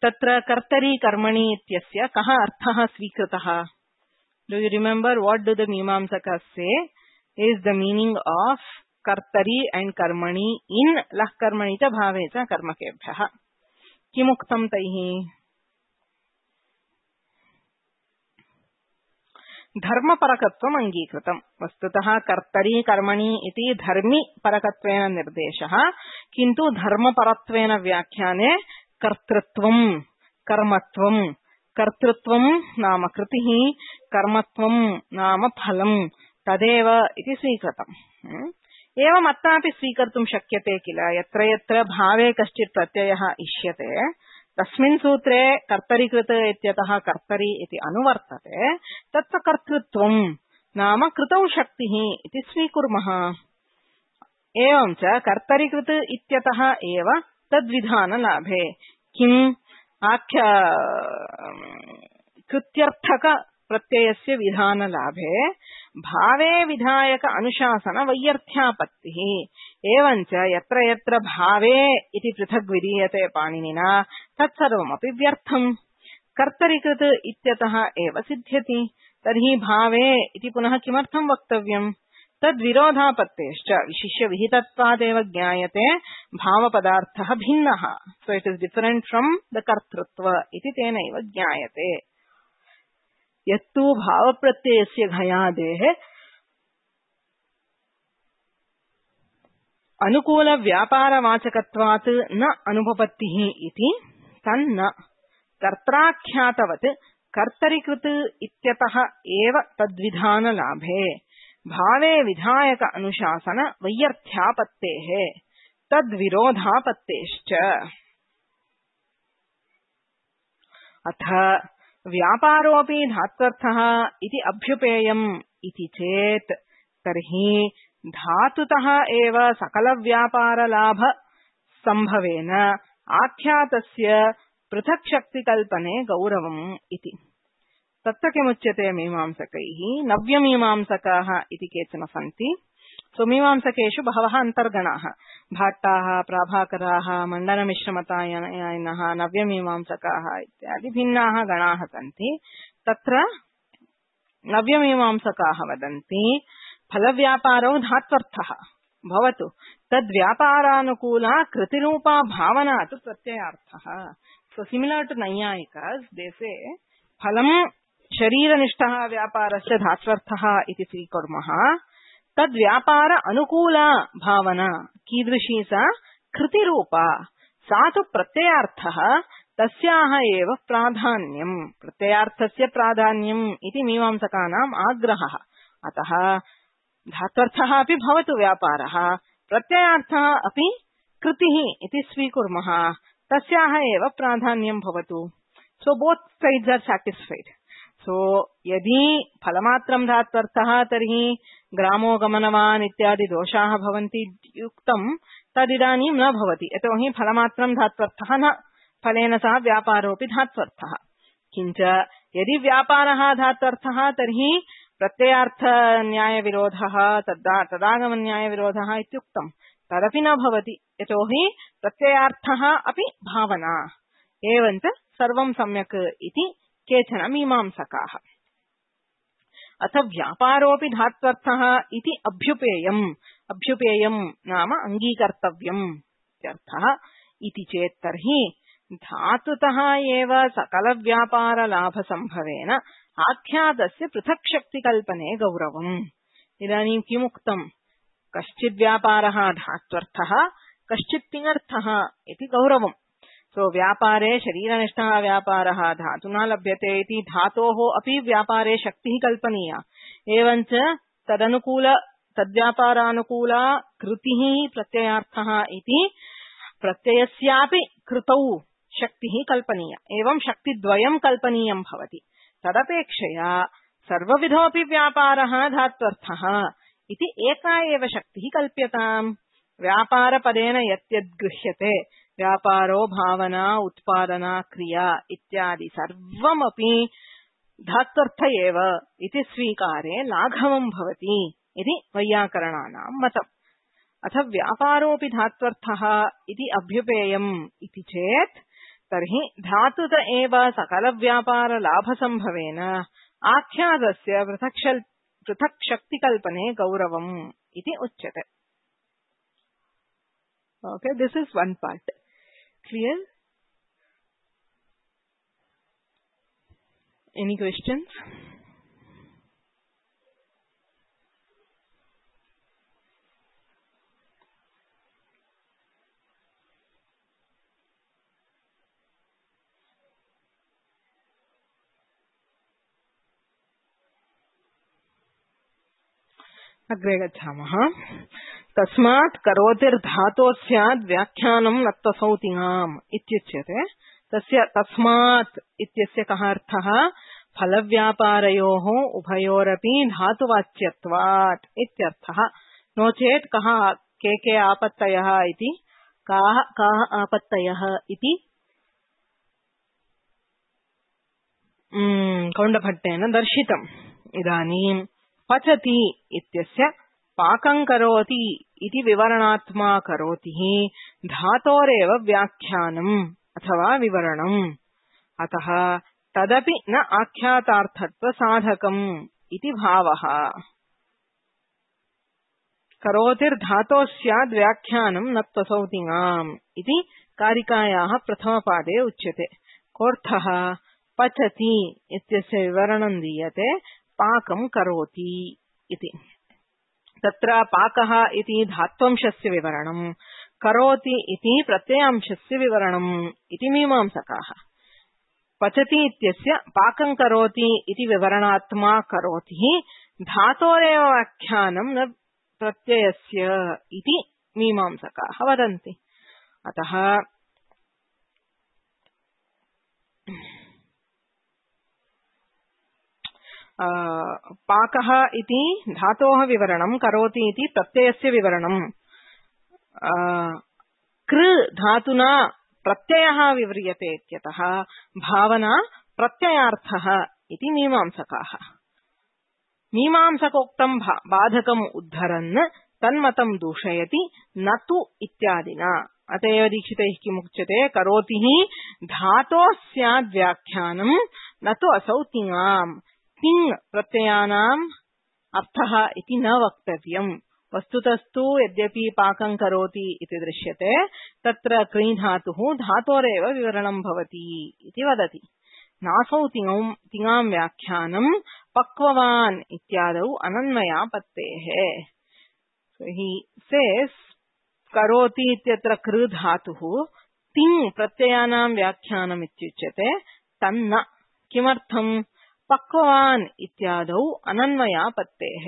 तत्र कर्तरी कर्मणि इत्यस्य कः अर्थः स्वीकृतः? Do you remember what do the Mimamsakas say is the meaning of कर्तरी and कर्मणि in लः कर्मणि च भावे च कर्मकेभ्यः? किमुक्तं तैः? धर्मपरकत्वम् अङ्गीकृतम्। वस्तुतः कर्तरी कर्मणि इति धर्मि परकत्वेन निर्देशः, किन्तु धर्मपरत्वेन व्याख्याने कर्तृत्वं कर्मत्वं, कर्तृत्वं नाम कृतिः, कर्मत्वं नाम फलम् तदेव इति स्वीकृतम्। एवम् अत्रापि स्वीकर्तुं शक्यते किल। यत्र यत्र भावे कश्चित् प्रत्ययः इष्यते तस्मिन् सूत्रे कर्तरीकृत इत्यतः कर्तरी इति अनुवर्तते, तत्र कर्तृत्वं नाम कृतौ शक्तिः इति स्वीकुर्मः। एवं च कर्तरीकृत इत्यतः एव तद्विधानलाभे। किम् आख्य कृत्यर्थक प्रत्ययस्य विधानलाभे भावे विधायक अनुशासन वैयर्थ्यापत्तिः। एवञ्च यत्र यत्र भावे इति पृथग् विधीयते पाणिनिना तत्सर्वमपि व्यर्थम्, कर्तरीकृत इत्यतः एव सिद्ध्यति। तर्हि भावे इति पुनः किमर्थं वक्तव्यम्? तद्विरोधापत्तेश्च विशिष्य विहितत्वादेव ज्ञायते भावपदार्थः भिन्नः। So it is different from the कर्तृत्व इति तेनैव ज्ञायते। यत्तु भावप्रत्ययस्य घयादेः अनुकूलव्यापारवाचकत्वात् न अनुपपत्तिः इति तन्न कर्त्राख्यातवत् कर्तरीकृत इत्यतः एव तद्विधानलाभे भावे विधायक अनुशासन वैयर्थ्यापत्तेः तद्विरोधापत्तेश्च। अथ व्यापारोऽपि धात्वर्थः इति अभ्युपेयम् इति चेत् तर्हि धातुतः एव सकलव्यापारलाभ संभवेन आख्यातस्य पृथक् शक्तिकल्पने गौरवम् इति। तत्र किमुच्यते मीमांसकैः? नव्यमीमांसकाः इति केचन सन्ति, सो मीमांसकेषु बहवः अन्तर्गणाः भाट्टाः प्राभाकराः मण्डनमिश्रमतायनः नव्यमीमांसकाः इत्यादि भिन्नाः गणाः सन्ति। तत्र नव्यमीमांसकाः वदन्ति फलव्यापारौ धात्वर्थः भवतु तद्व्यापारानुकूला कृतिरूपा भावना तु प्रत्ययार्थः। सो सिमिलर टू नैयायिकास् दे से फलं शरीरनिष्ठः व्यापारस्य धात्वर्थः इति स्वीकुर्मः। तद्व्यापार अनुकूला भावना कीदृशी सा कृतिरूपा सा तु प्रत्ययार्थः तस्याः एव प्राधान्यम् प्रत्ययार्थस्य प्राधान्यम् इति मीमांसकानाम् आग्रहः। अतः धात्वर्थः अपि भवतु व्यापारः प्रत्ययार्थः अपि कृतिः इति स्वीकुर्मः तस्याः एव प्राधान्यं भवतु। सो बोथ साइड्स आर सैटिस्फाइड। सो यदि फलमात्रं धात्वर्थः तर्हि ग्रामो गमनवान् इत्यादि दोषाः भवन्ति युक्तं तदिदानीं न भवति यतोहि फलमात्रं धात्वर्थः न फलेन सह व्यापारोऽपि धात्वर्थः। किञ्च यदि व्यापारः धात्वर्थः तर्हि प्रत्ययार्थ न्यायविरोधः तद्दा तदागमन्यायविरोधः इत्युक्तं तदपि न भवति यतोहि प्रत्ययार्थः अपि भावना एवञ्च सर्वं सम्यक् इति केचन मीमांसकाः। अथ व्यापारोऽपि धात्वर्थः इति अभ्युपेयम् अभ्युपेयम् नाम अङ्गीकर्तव्यम् इत्यर्थः इति चेत् तर्हि धातुतः एव सकलव्यापारलाभसम्भवेन आख्यातस्य पृथक् शक्तिकल्पने गौरवम्। इदानीं किमुक्तम् कश्चिद्व्यापारः धात्वर्थः कश्चित्तिङर्थः इति गौरवम्। सो व्यापारे शरीरनिष्ठः व्यापारः धातुना लभ्यते इति धातोः अपि व्यापारे शक्तिः कल्पनीया एवञ्च तदनुकूल तद्व्यापारानुकूला कृतिः प्रत्ययार्थः इति प्रत्ययस्यापि कृतौ शक्तिः कल्पनीया एवं शक्तिद्वयं कल्पनीयं भवति। तदपेक्षया सर्वविधोऽपि व्यापारः धात्वर्थः इति एका एव शक्तिः कल्प्यताम्। व्यापारपदेन यद्यद्गृह्यते व्यापारो भावना उत्पादना क्रिया इत्यादि सर्वमपि धात्वर्थ एव इति स्वीकारे लाघवं भवति इति वैयाकरणानां मतम्। अथ व्यापारोऽपि धात्वर्थः इति अभ्युपेयम् इति चेत् तर्हि धातुत एव सकलव्यापारलाभसम्भवेन आख्यातस्य पृथक् शक्तिकल्पने गौरवम् इति उच्यते। Okay, this is one part. Clear? Any questions? अग्रे गच्छामः। तस्मात् करोतिर्धातो स्याद् व्याख्यानं नत्वसौतिङाम् इत्युच्यते। तस्य तस्मात् इत्यस्य कः अर्थः? फलव्यापारयोः उभयोरपि धातुवाच्यत्वात् इत्यर्थः। नो चेत् कः के के आपत्तयः इति काः काः आपत्तयः इति कौण्डभट्टेन दर्शितम्। इदानीं पचति इत्यस्य पाकं करोति इति विवरणात्मा करोतिः धातोरेव व्याख्यानम् अथवा विवरणम्। अतः तदपि न आख्यातार्थत्व साधकम् इति भावः। करोतिर्धातो स्याद् व्याख्यानं न त्वसौतिङाम् इति कारिकायाः प्रथमपादे उच्यते। कोऽर्थः? पचति इत्यस्य विवरणं दीयते पाकं करोति इति। तत्र पाकः इति धात्वंशस्य विवरणम् करोति इति प्रत्ययांशस्य विवरणम् इति मीमांसकाः। पचति इत्यस्य पाकं करोति इति विवरणात्मा करोति धातोरेव व्याख्यानं न प्रत्ययस्य इति मीमांसकाः वदन्ति। अतः पाकः इति धातोः विवरणं करोति इति प्रत्ययस्य विवरणम्। कृ धातुना प्रत्ययः विव्रियते इत्यतः भावना प्रत्ययार्थः इति मीमांसकाः। मीमांसकोक्तं बाधकम् उद्धरन् तन्मतं दूषयति न तु इत्यादिना। अतएव दीक्षितैः किमुच्यते करोति हि धातोः स्याद् व्याख्यानं न तु असौ तिङाम्। तिङ् प्रत्ययानाम् अर्थः इति न वक्तव्यम्। वस्तुतस्तु यद्यपि पाकं करोति इति दृश्यते तत्र क्री धातुः धातोरेव विवरणं भवति इति वदति। नासौ तिङाम् व्याख्यानं पक्ववान् इत्यादौ अनन्वयापत्तेः। So he says करोति इत्यत्र कृ धातुः तिङ् प्रत्ययानां व्याख्यानम् इत्युच्यते तन्न। किमर्थम्? पक्ववान् इत्यादौ अनन्वयापत्तेः।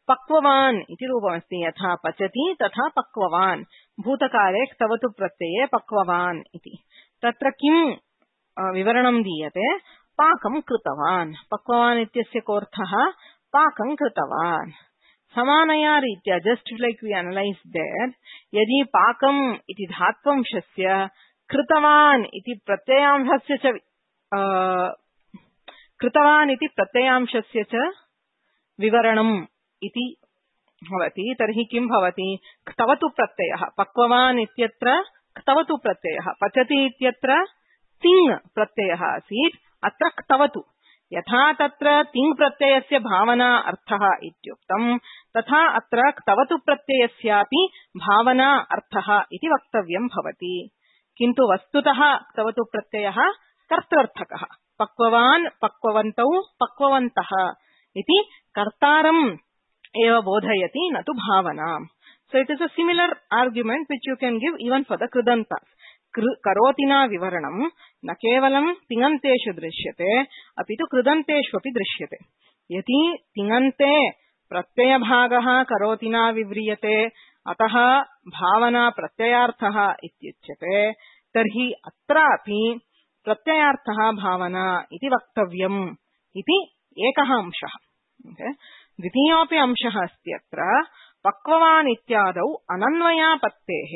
पक्ववान् इति रूपमस्ति। यथा पचति तथा पक्ववान्। भूतकाले क्तवतु प्रत्यये पक्ववान् इति। तत्र किं विवरणं दीयते? पाकं कृतवान्। पक्ववान् इत्यस्य कोऽर्थः? पाकं कृतवान्। समानया रीत्या just like we analyse there, यदि पाकम् इति धात्वंशस्य कृतवान् इति प्रत्ययांशस्य च कृतवान् इति प्रत्ययांशस्य च विवरणम् इति भवति तर्हि किं भवति? क्तवतु प्रत्ययः। पक्ववान् इत्यत्र क्तवतु प्रत्ययः, पचति इत्यत्र तिङ् प्रत्ययः आसीत्, अत्र क्तवतु। यथा तत्र तिङ् प्रत्ययस्य भावना अर्थः इत्युक्तम् तथा अत्र क्तवतु प्रत्ययस्यापि भावना अर्थः इति वक्तव्यं भवति। किन्तु वस्तुतः क्तवतु प्रत्ययः कर्तृर्थकः। पक्ववान्, पक्ववन्तौ, पक्ववन्तः इति कर्तारम् एव बोधयति, न तु भावनाम्। So it is a similar argument which you can give even for the कृदन्तास्। करोतिना विवरणं न केवलं तिङन्तेषु दृश्यते अपि तु कृदन्तेष्वपि दृश्यते। यदि तिङन्ते प्रत्ययभागः करोतिना विव्रियते अतः भावना प्रत्ययार्थः इत्युच्यते तर्हि अत्रापि प्रत्ययार्थः भावना इति वक्तव्यम् इति एकः अंशः। द्वितीयोऽपि अंशः अस्ति अत्र पक्ववान् इत्यादौ अनन्वयापत्तेः।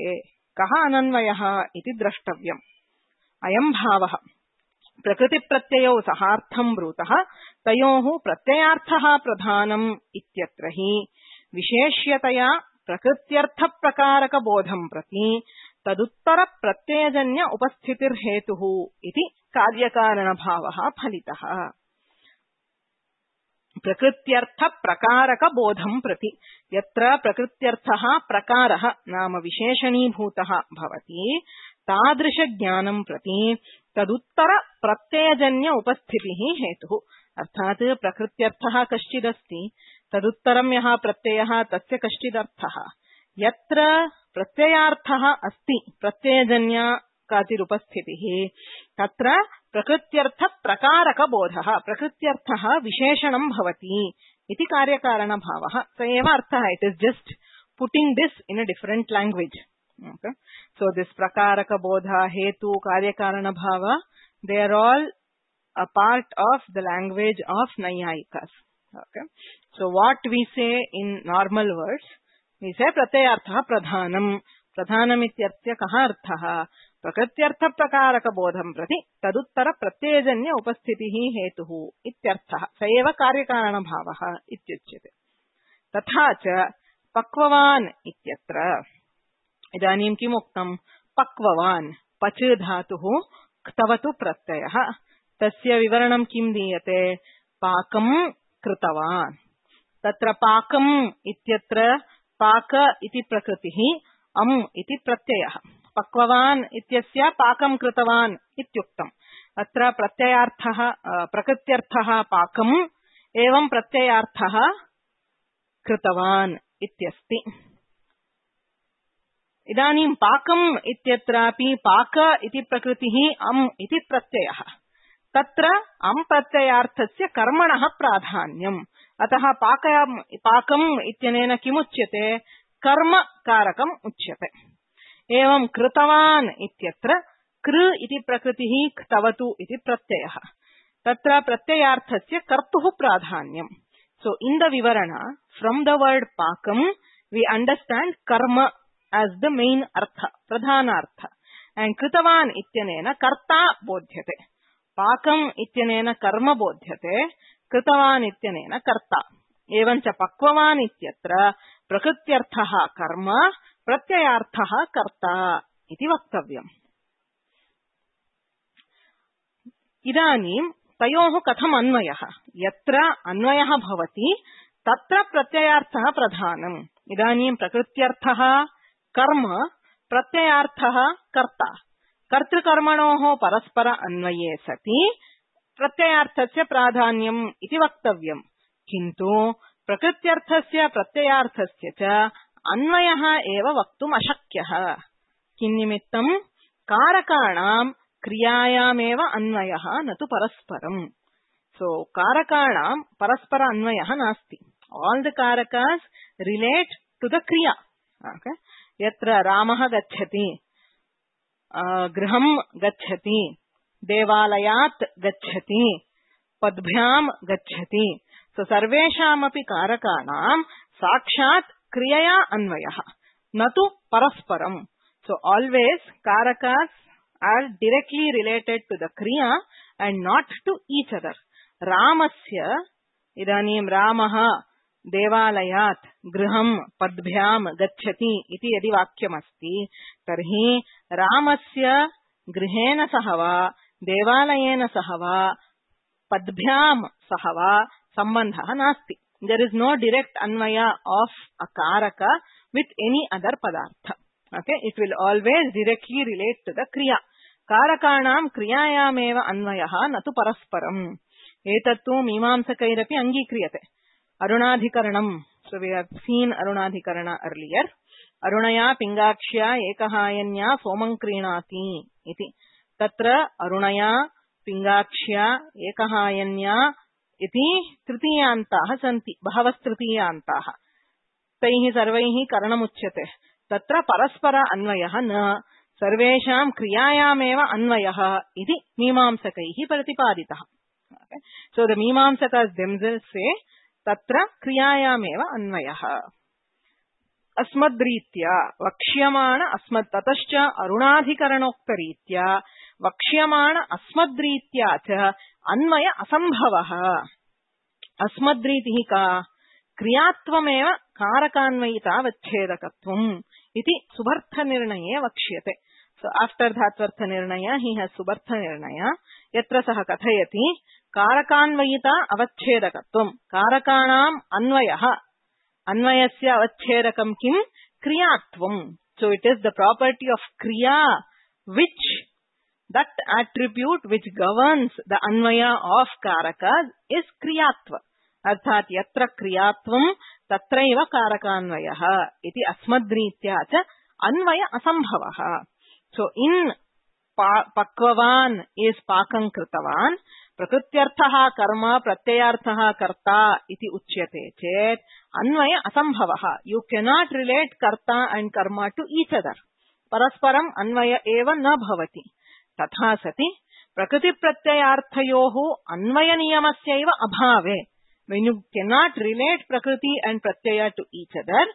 कः अनन्वयः इति द्रष्टव्यम्। अयं भावः प्रकृतिप्रत्ययौ सहार्थं ब्रूतः तयोः प्रत्ययार्थः प्रधानम् इत्यत्र हि विशेष्यतया प्रकृत्यर्थप्रकारकबोधं प्रति तदुत्तर प्रत्ययजन्य उपस्थितिर्हेतुः इति कार्यकारणभावः फलितः। प्रकृत्यर्थ प्रकारक बोधं प्रति यत्र प्रकृत्यर्थः प्रकारः नाम विशेषणीभूतः भवति तादृश ज्ञानं प्रति तदुत्तर प्रत्ययजन्य उपस्थितिः हेतुः। अर्थात् प्रकृत्यर्थः कश्चिदस्ति तदुत्तरं यः प्रत्ययः तस्य कश्चिदर्थः। यत्र प्रत्ययार्थः अस्ति प्रत्ययजन्य काचिदुपस्थितिः तत्र प्रकृत्यर्थ प्रकारक बोधः प्रकृत्यर्थः विशेषणं भवति इति कार्यकारणभावः। स एव अर्थः। It is just putting this in a different language. Okay, so this प्रकारक बोध हेतु कार्यकारणभाव they are all a part of the language of नैयायिकास्। Okay, so what we say in normal words V से प्रत्ययार्थः प्रधानम्। प्रधानम् इत्यस्य कः अर्थः? प्रकृत्यर्थ प्रकारक बोधं प्रति तदुत्तर प्रत्ययजन्य उपस्थितिः हेतुः इत्यर्थः। स एव कार्यकारणभावः इत्युच्यते। तथा च पक्ववान् इत्यत्र इदानीं किम् उक्तम्? पक्ववान् पच धातुः क्तवतु प्रत्ययः। तस्य विवरणं किं दीयते? पाकं कृतवान्। तत्र पाकम् इत्यत्र पाक इति प्रकृतिः, अम् इति प्रत्ययः। पक्ववान् इत्यस्य पाकं कृतवान् इत्युक्तम्। अत्र प्रत्ययार्थः प्रकृत्यर्थः पाकम् एवं प्रत्ययार्थः कृतवान् इत्यस्ति। इदानीं पाकम् इत्यत्रापि पाक इति प्रकृतिः, अम् इति प्रत्ययः। तत्र अम् प्रत्ययार्थस्य कर्मणः प्राधान्यम्। अतः पाकम् पाकम् इत्यनेन किमुच्यते? कर्म कारकम् उच्यते। एवं कृतवान् इत्यत्र कृ इति प्रकृतिः, क्तवतु इति प्रत्ययः। तत्र प्रत्ययार्थस्य कर्तुः प्राधान्यम्। सो इन द विवरण फ्रॉम द वर्ड पाकम् वी अंडरस्टैंड कर्म as the main अर्थ, प्रधानार्थ। एंड कृतवान् इत्यनेन कर्ता बोध्यते। पाकम् इत्यनेन कर्म बोध्यते, कृतवान् इत्यनेन कर्ता। एवं च पक्ववान् इत्यत्र प्रकृत्यर्थः कर्म प्रत्ययार्थः कर्ता इति वक्तव्यम्। इदानीं तयोः कथम् अन्वयः? यत्र अन्वयः भवति तत्र प्रत्ययार्थः प्रधानम्। इदानीं प्रकृत्यर्थः कर्म प्रत्ययार्थः कर्ता। कर्तृकर्मणोः परस्पर अन्वये सति प्रत्ययार्थस्य प्राधान्यम् इति वक्तव्यम्। किन्तु प्रकृत्यर्थस्य प्रत्ययार्थस्य च अन्वयः एव वक्तुम् अशक्यः। किन्निमित्तम्? कारकाणां क्रियायामेव अन्वयः न तु परस्परम्। सो कारकाणां परस्पर अन्वयः नास्ति। ऑल द कारकास् रिलेट टू द क्रिया। okay? यत्र रामः गच्छति, गृहं गच्छति, देवालयात् गच्छति, पद्भ्यां गच्छति। सो सर्वेषामपि कारकाणां साक्षात् क्रियया अन्वयः न तु परस्परम्। सो ऑलवेज कारकास् are directly related to the kriya and not to each other. रामस्य इदानीं रामः देवालयात् गृहं पद्भ्यां गच्छति इति यदि वाक्यमस्ति तर्हि रामस्य गृहेण सह वा देवालयेन सह वा पद्भ्यां सह वा सम्बन्धः नास्ति। There is no direct anvaya of a karaka with any other padartha. Okay, it will always directly relate to the kriya. कारकाणां क्रियायामेव अन्वयः न तु परस्परम्। एतत्तु मीमांसकैरपि अङ्गीक्रियते। अरुणाधिकरणम्, so we have seen अरुणाधिकरण earlier. अरुणया पिङ्गाक्ष्या एकहायन्या सोमं क्रीणाति इति। तत्र अरुणया पिङ्गाक्ष्या एकहायन्या इति तृतीयान्ताः सन्ति, बहवस्तृतीयान्ताः। तैः सर्वैः करणमुच्यते। तत्र परस्पर अन्वयः न, सर्वेषां क्रियायामेव अन्वयः इति मीमांसकैः प्रतिपादितः। सो द मीमांसकस् themselves say तत्र क्रियायामेव अन्वयः। अस्मद्रीत्या वक्ष्यमाण अस्मत् ततश्च अरुणाधिकरणोक्तरीत्या वक्ष्यमाण अस्मद्रीत्या च अन्वय असम्भवः। अस्मद्रीतिः का? क्रियात्वमेव कारकान्वयितावच्छेदकत्वम् इति सुबर्थनिर्णये वक्ष्यते। So after धात्वर्थ निर्णय he has सुबर्थ निर्णय यत्र सः कथयति कारकान्वयिता अवच्छेदकत्वम्। कारकाणाम् अन्वयः, अन्वयस्य अवच्छेदकं किं? क्रियात्वम्। So it is the property of kriya which that attribute which governs the Anvay of karakas is kriyatva. अर्थात यत्र क्रियात्वम् तत्रैव कारकान्वयः इति अस्मद्रीत्या च अन्वय असम्भवः। So in pakvavan is pakam kritavan, प्रकृत्यर्थः कर्म प्रत्ययार्थः कर्ता इति उच्यते चेत् अन्वय असम्भवः। You cannot relate कर्ता and कर्म to each other. परस्परम् अन्वय एव न भवति। तथा सति प्रकृति प्रत्ययार्थयोः अन्वय नियमस्यैव अभावे, when you cannot relate prakriti and pratyaya to each other,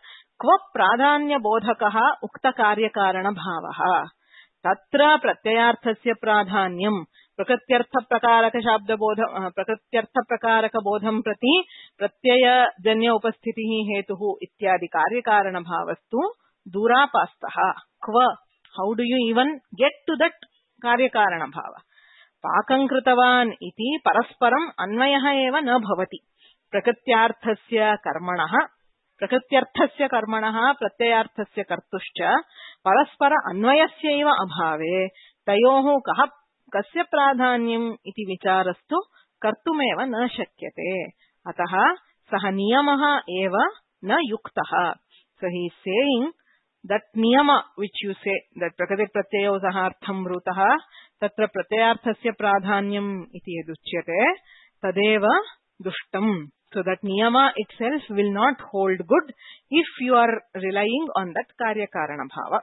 क्व प्राधान्य बोधकः उक्त कार्य कारण भावः। तत्र प्रत्ययार्थस्य प्राधान्यम् प्रकृत्यर्थ प्रकारक शब्द बोध प्रकृत्यर्थ प्रकारक बोधं प्रति प्रत्ययजन्य उपस्थितिः हेतुः इत्यादि कार्य कारण भावस्तु दूरापास्तः। क्व, how do you even get to that कार्य कारण भाव? पाकं कृतवान् इति परस्परम् अन्वयः एव न भवति। प्रकृत्यार्थस्य कर्मणः प्रकृत्यर्थस्य कर्मणः प्रत्ययार्थस्य कर्तुश्च परस्पर अन्वयस्यैव अभावे तयोः कः कस्य प्राधान्यम् इति विचारस्तु कर्तुमेव न शक्यते। अतः सः नियमः एव न युक्तः। So he is saying that niyama which you say that prakriti pratyayo sahartham brutah tatra pratyarthasya pradhanyam iti yaduchyate tadeva dushtam. So that niyama itself will not hold good if you are relying on that karya karana bhava.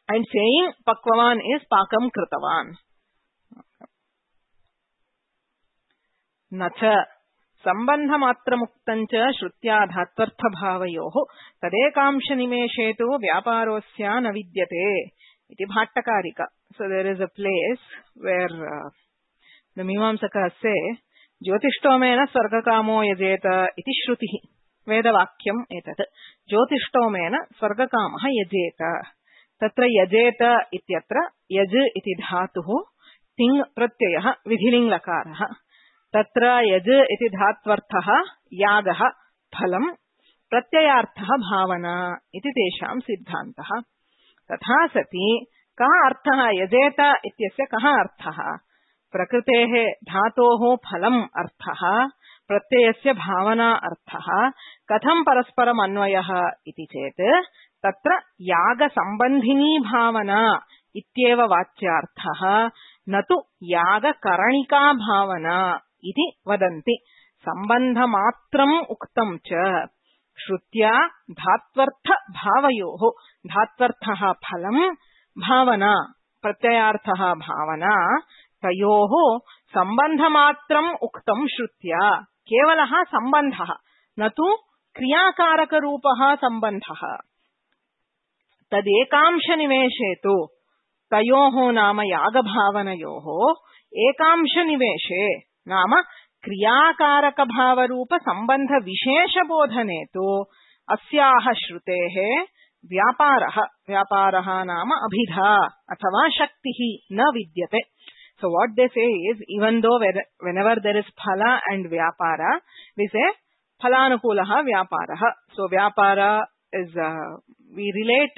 And saying pakvavan is pakam kritavan. Nacha सम्बन्धमात्रमुक्तञ्च श्रुत्या धात्वर्थभावयोः तदेकांशनिमेषेतु व्यापारोऽस्य न विद्यते इति भाट्टकारिका. So there is a place where uh, the Mimamsaka say ज्योतिष्टोमेन स्वर्गकामो यजेत इति श्रुतिः. वेदवाक्यम् एतत् ज्योतिष्टोमेन स्वर्गकामः यजेत तत्र यजेत इत्यत्र यज इति धातुः तिङ् प्रत्ययः विधिलिङ्गलकारः तत्र यज इति धात्वर्थः यागः फलम् प्रत्ययार्थः भावना इति तेषां सिद्धान्तः तथा सति कः अर्थः यजेत इत्यस्य कः अर्थः प्रकृतेः धातोः फलम् अर्थः प्रत्ययस्य भावना अर्थः कथं परस्परम् अन्वयः इति चेत् तत्र यागसम्बन्धिनी भावना इत्येव वाच्यार्थः न तु यागकरणिका भावना इति वदन्ति सम्बन्धमात्रम् उक्तं च श्रुत्या धात्वर्थ भावयोः धात्वर्थः फलम् भावना प्रत्ययार्थः भावना तयोः सम्बन्धमात्रम् उक्तं श्रुत्या केवलः सम्बन्धः न तु क्रियाकारकरूपः सम्बन्धः तदेकांशनिवेशे तु तयोः नाम यागभावनयोः एकांशनिवेशे नाम क्रियाकारकभावरूपसम्बन्धविशेषबोधने तु अस्याः श्रुतेः व्यापारः व्यापारः नाम अभिधा अथवा शक्तिः न विद्यते. So what they say is, even though whenever there is phala and vyapara, we say phalanukulaha vyaparaha. So vyapara is, uh, we relate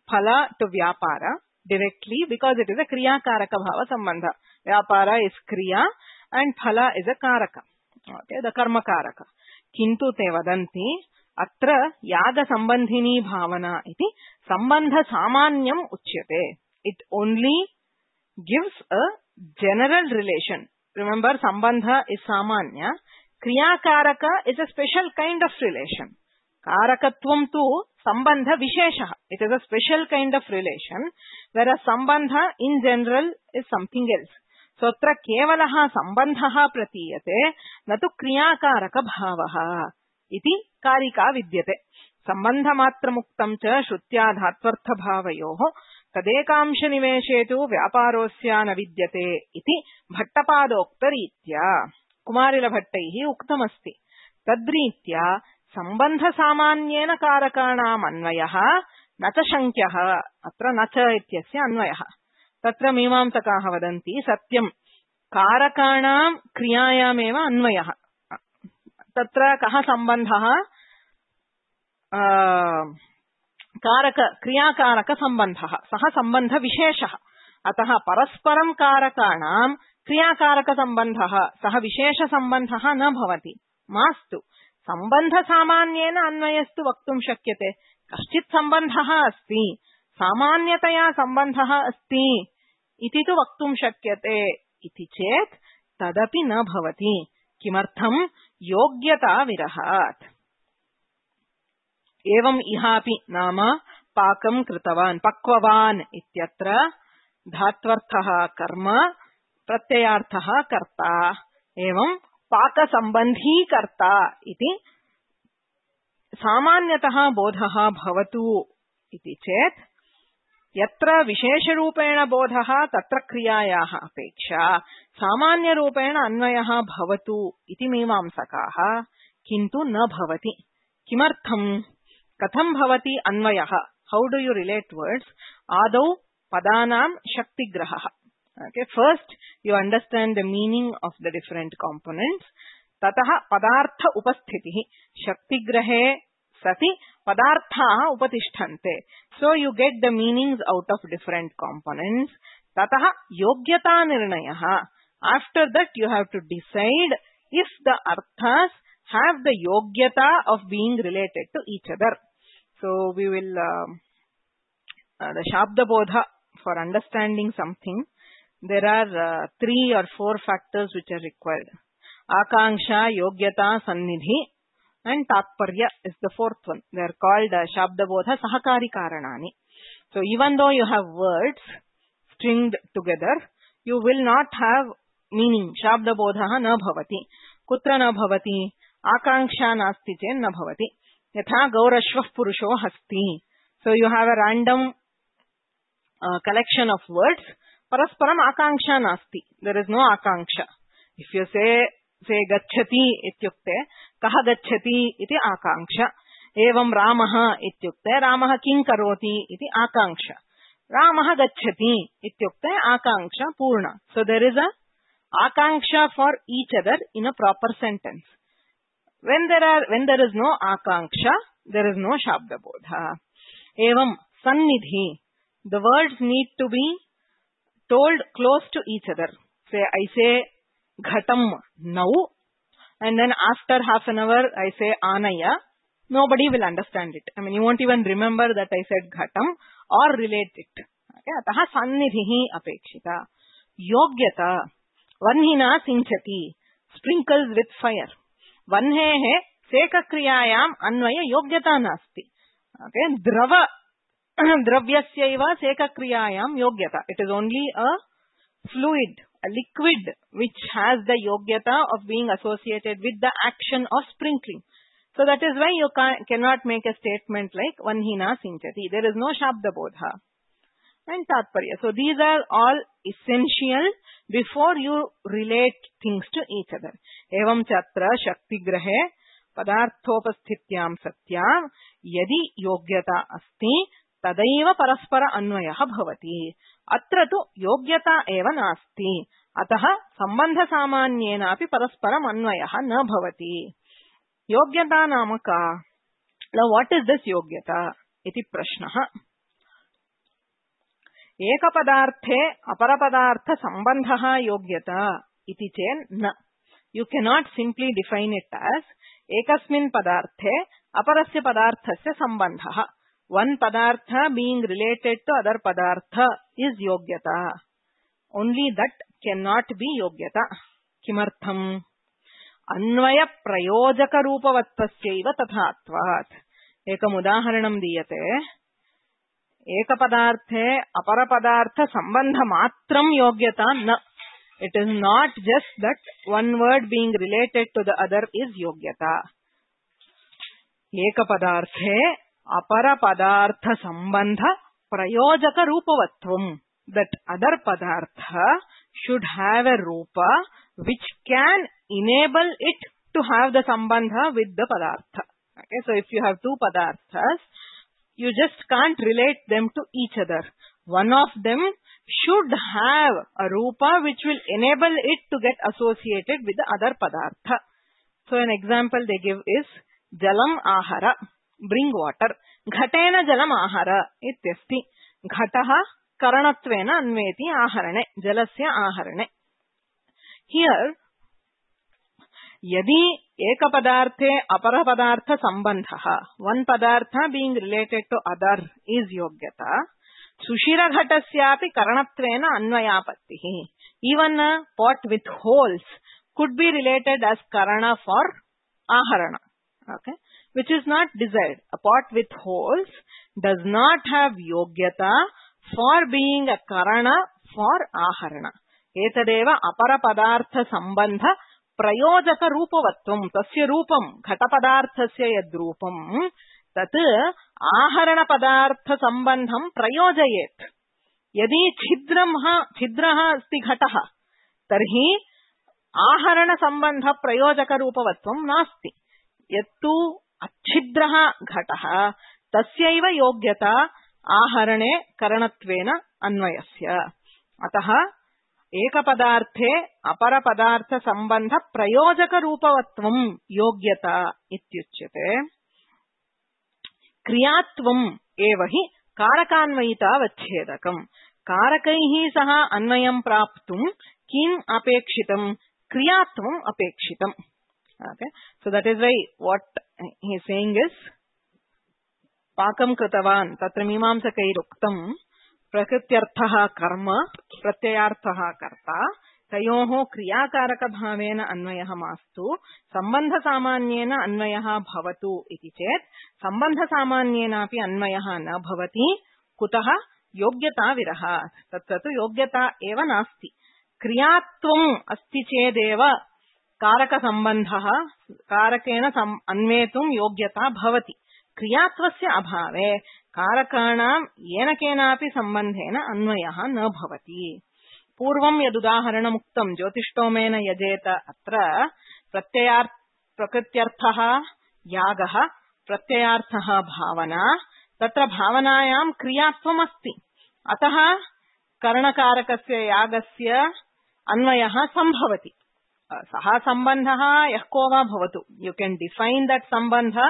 phala to vyapara directly because it is a kriya karaka bhava sambandha. Vyapara is kriya and phala is a karaka. Okay, the karma karaka. Kintu te vadanti atra yaga sambandhini bhavana iti sambandha samanyam uchyate. It only gives a general relation. Remember, sambandha is samanya. Kriya karaka is a special kind of relation. Karakatvam tu sambandha vishesha. It is a special kind of relation, whereas sambandha in general is something else. So atra kevalaha sambandhaha pratiyate natu kriya karaka bhavaha iti karika vidyate. Sambandha matra muktam cha shrutya dhatvartha bhavayoho तदेकांशनिवेशे तु व्यापारोऽस्य न विद्यते इति भट्टपादोक्तरीत्या कुमारिलभट्टैः उक्तमस्ति. तद्रीत्या सम्बन्धसामान्येन कारकाणाम् अन्वयः न च शङ्क्यः. अत्र न च इत्यस्य अन्वयः. तत्र मीमांसकाः वदन्ति सत्यम् कारकाणां क्रियायामेव अन्वयः. तत्र कः सम्बन्धः? कारक क्रियाकारक सम्बन्धः सः सम्बन्ध विशेषः. अतः परस्परं कारकाणां क्रियाकारक सम्बन्धः सः विशेष सम्बन्धः न भवति. मास्तु सम्बन्ध सामान्येन अन्वयस्तु वक्तुं शक्यते. कश्चित् सम्बन्धः अस्ति, सामान्यतया सम्बन्धः अस्ति इति तु वक्तुं शक्यते इति चेत् तदपि न भवति. किमर्थं? योग्यता विरहात्. एवं इहापि नाम पाकं कृतवान् पक्ववान् इत्यत्र धात्वर्थः कर्म प्रत्ययार्थः कर्ता एवं पाकसम्बन्धी कर्ता इति सामान्यतः बोधः भवतु इति चेत् यत्र विशेषरूपेण बोधः तत्र क्रियायाः अपेक्षा सामान्यरूपेण अन्वयः भवतु इति मीमांसकाः. किन्तु न भवति. किमर्थम्? कथं भवति अन्वयः? How do you relate words? आदौ पदानां शक्तिग्रहः. Okay, first you understand the meaning of the different components. ततः पदार्थ उपस्थितिः. शक्तिग्रहे सति पदार्थाः उपतिष्ठन्ते. So you get the meanings out of different components. ततः योग्यता निर्णयः. After that you have to decide if the arthas have the yogyata of being related to each other. So we will, uh, uh, the Shabda Bodha, for understanding something, there are uh, three or four factors which are required. Akanksha, Yogyata, Sannidhi and Tatparya is the fourth one. They are called uh, Shabda Bodha Sahakari Karanani. So even though you have words stringed together, you will not have meaning. Shabda Bodha na bhavati. Kutra na bhavati. Akanksha nasti chen na bhavati. Yatha gaurashvah purusho hasti. So you have a random uh, collection of words. Parasparam akanksha nasti. There is no akanksha. If you say से गच्छति इत्युक्ते कः गच्छति इति आकांक्षा एवं रामः इत्युक्ते रामः किं करोति इति आकांक्षा रामः गच्छति इत्युक्ते आकांक्षा पूर्ण सो देयर इज अ आकांक्षा for each other in a proper sentence when there are when there is no akanksha there is no shabda bodha evam sannidhi the words need to be told close to each other say I say ghatam now and then after half an hour I say anaya nobody will understand it I mean you won't even remember that I said ghatam or relate it okay atah sannidhi apekshita yogyata vanhina sinchati sprinkles with fire वह्नेः सेकक्रियायाम् अन्वय योग्यता नास्ति okay द्रव द्रव्यस्यैव सेकक्रियायां योग्यता it is only a fluid a liquid which has the योग्यता of being associated with the action of sprinkling so that is why you can not make a statement like वह्निना सिंचति देयर इज नो शब्द बोध and tatparya so these are all essential before you relate things to each other evam chatra shakti grahe padarthopasthityam satyam yadi yogyata asti tadaiva paraspara अन्वयः भवति अत्र तु योग्यता एव नास्ति अतः संबंध सामान्येनापि परस्परम् अन्वयः न भवति योग्यता नाम का now what is this योग्यता इति प्रश्नः एक पदार्थे अपर पदार्थ संबंधः योग्यता इति चेन् न you cannot simply define it as एकस्मिन् पदार्थे अपरस्य पदार्थस्य संबंधः वन पदार्थ बीइंग रिलेटेड टू अदर पदार्थ इज योग्यता only that can not be योग्यता किमर्थम् अन्वय प्रयोजक रूपवत्वस्यैव तथात्वात् एकम् उदाहरणं दीयते एक पदार्थे अपर पदार्थ संबंध मात्रं योग्यता न it is not just that one word being related to the other is योग्यता एक पदार्थे अपर पदार्थ संबंध प्रयोजक रूपवत्वं दैट अदर पदार्थ शुड हैव अ रूप which can enable it to have the संबंध विद द पदार्थ okay so if you have two पदार्थस you just can't relate them to each other. One of them should have a rupa which will enable it to get associated with the other padartha. So an example they give is jalam ahara, bring water. Ghatena jalam ahara ityasti. Ghatah karanatvena anveti aharane, jalasya aharane. Here यदि एक पदार्थे अपर पदार्थ संबंधः one पदार्थ being related to other is योग्यता सुशिर घटस्यापि करणत्वेन अन्वयापत्तिः even pot with holes could be related as करण फॉर आहरण okay which is not desired a pot with holes does not have योग्यता फॉर बीइंग अ करण फॉर आहरण एतदेव अपर पदार्थ संबंध प्रयोजक रूपवत्वं तस्य रूपं घट पदार्थस्य यद्रूपं तत् आहरण पदार्थ संबंधं प्रयोजयेत् यदि छिद्रः छिद्रः अस्ति घटः तर्हि आहरण संबंध प्रयोजक रूपवत्वं नास्ति यत्तु अच्छिद्रः घटः तस्यैव योग्यता आहरणे करणत्वेन अन्वयस्य अतः एक पदार्थे अपर पदार्थ संबंध प्रयोजक रूपवत्वं योग्यता इत्युच्यते क्रियात्वम् एव हि कारकान्वयितावच्छेदकम् कारकैः सह अन्वयं प्राप्तुं किम् अपेक्षितं क्रियात्वम् अपेक्षितम् okay so that is why what he is saying is पाकं कृतवान् तत्र मीमांसकैरुक्तम् प्रकृत्यर्थः कर्म प्रत्ययार्थः कर्ता तयोः क्रियाकारक भावेन अन्वयः मास्तु संबंध सामान्येन अन्वयः भवतु इति चेत् संबंध सामान्येनापि अन्वयः न भवति कुतः योग्यता विरहात् तत्र तु योग्यता एव नास्ति क्रियात्वम् अस्ति चेदेव कारक संबंधः कारकेण अन्वेतुं योग्यता भवति क्रियात्वस्य अभावे कारकाणां येन केनापि संबंधेन अन्वयः न भवति पूर्वं यदुदाहरणमुक्तं ज्योतिष्टोमेन यजेत अत्र प्रत्ययार्थ प्रकृत्यर्थः यागः प्रत्ययार्थः भावना तत्र भावनायां क्रियात्वम् अस्ति अतः करणकारकस्य यागस्य अन्वयः संभवति सः सम्बन्धः यः को वा भवतु यू कैन डिफाइन दैट सम्बन्ध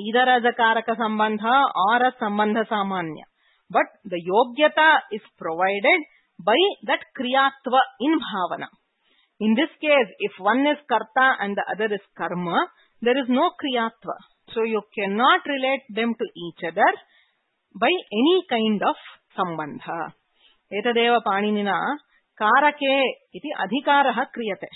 ईदर एज अ कारक सम्बन्ध और अ सम्बन्ध सामान्य बट द योग्यता is provided by that kriyatva in bhavana. In this case, if one is karta and the other is karma, there is no kriyatva. So you cannot relate them to each other by any kind of sambandha. Etadeva paninina karake iti adhikarah kriyate.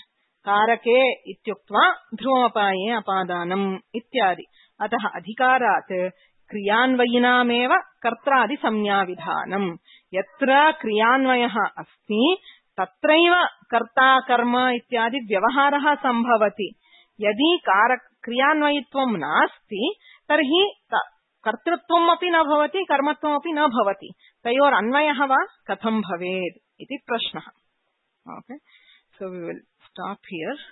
Karake ityuktva dhruvapaye apadanam ityadi. Atah adhikarat क्रियान्वयिनामेव कर्त्रादि संज्ञाविधानम् यत्र क्रियान्वयः अस्ति तत्रैव कर्ता कर्म इत्यादि व्यवहारः संभवति यदि कारक क्रियान्वयित्वं नास्ति तर्हि कर्तृत्वम् अपि न भवति कर्मत्वम् अपि न भवति तयोर अन्वयः वा कथं भवेत् इति प्रश्नः okay so we will stop here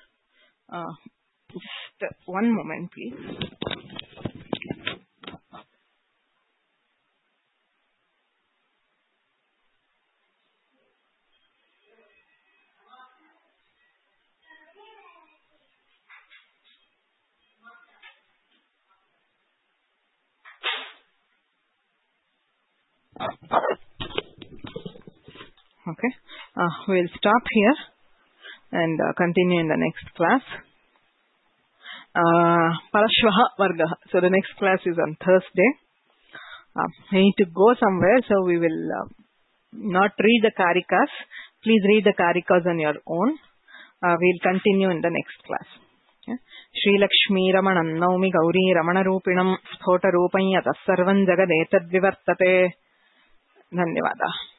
just one moment please Okay, uh, we'll stop here and uh, continue in the next class. Uh, Parashvaha Vargaha. So the next class is on Thursday. Uh, I need to go somewhere, so we will uh, not read the Karikas. Please read the Karikas on your own. Uh, we'll continue in the next class. Okay. Shri Lakshmi Ramanam Naumi Gauri Ramana Rupinam Sphota Rupanya Tasarvan Jagadetad Vivartate. धन्यवादाः।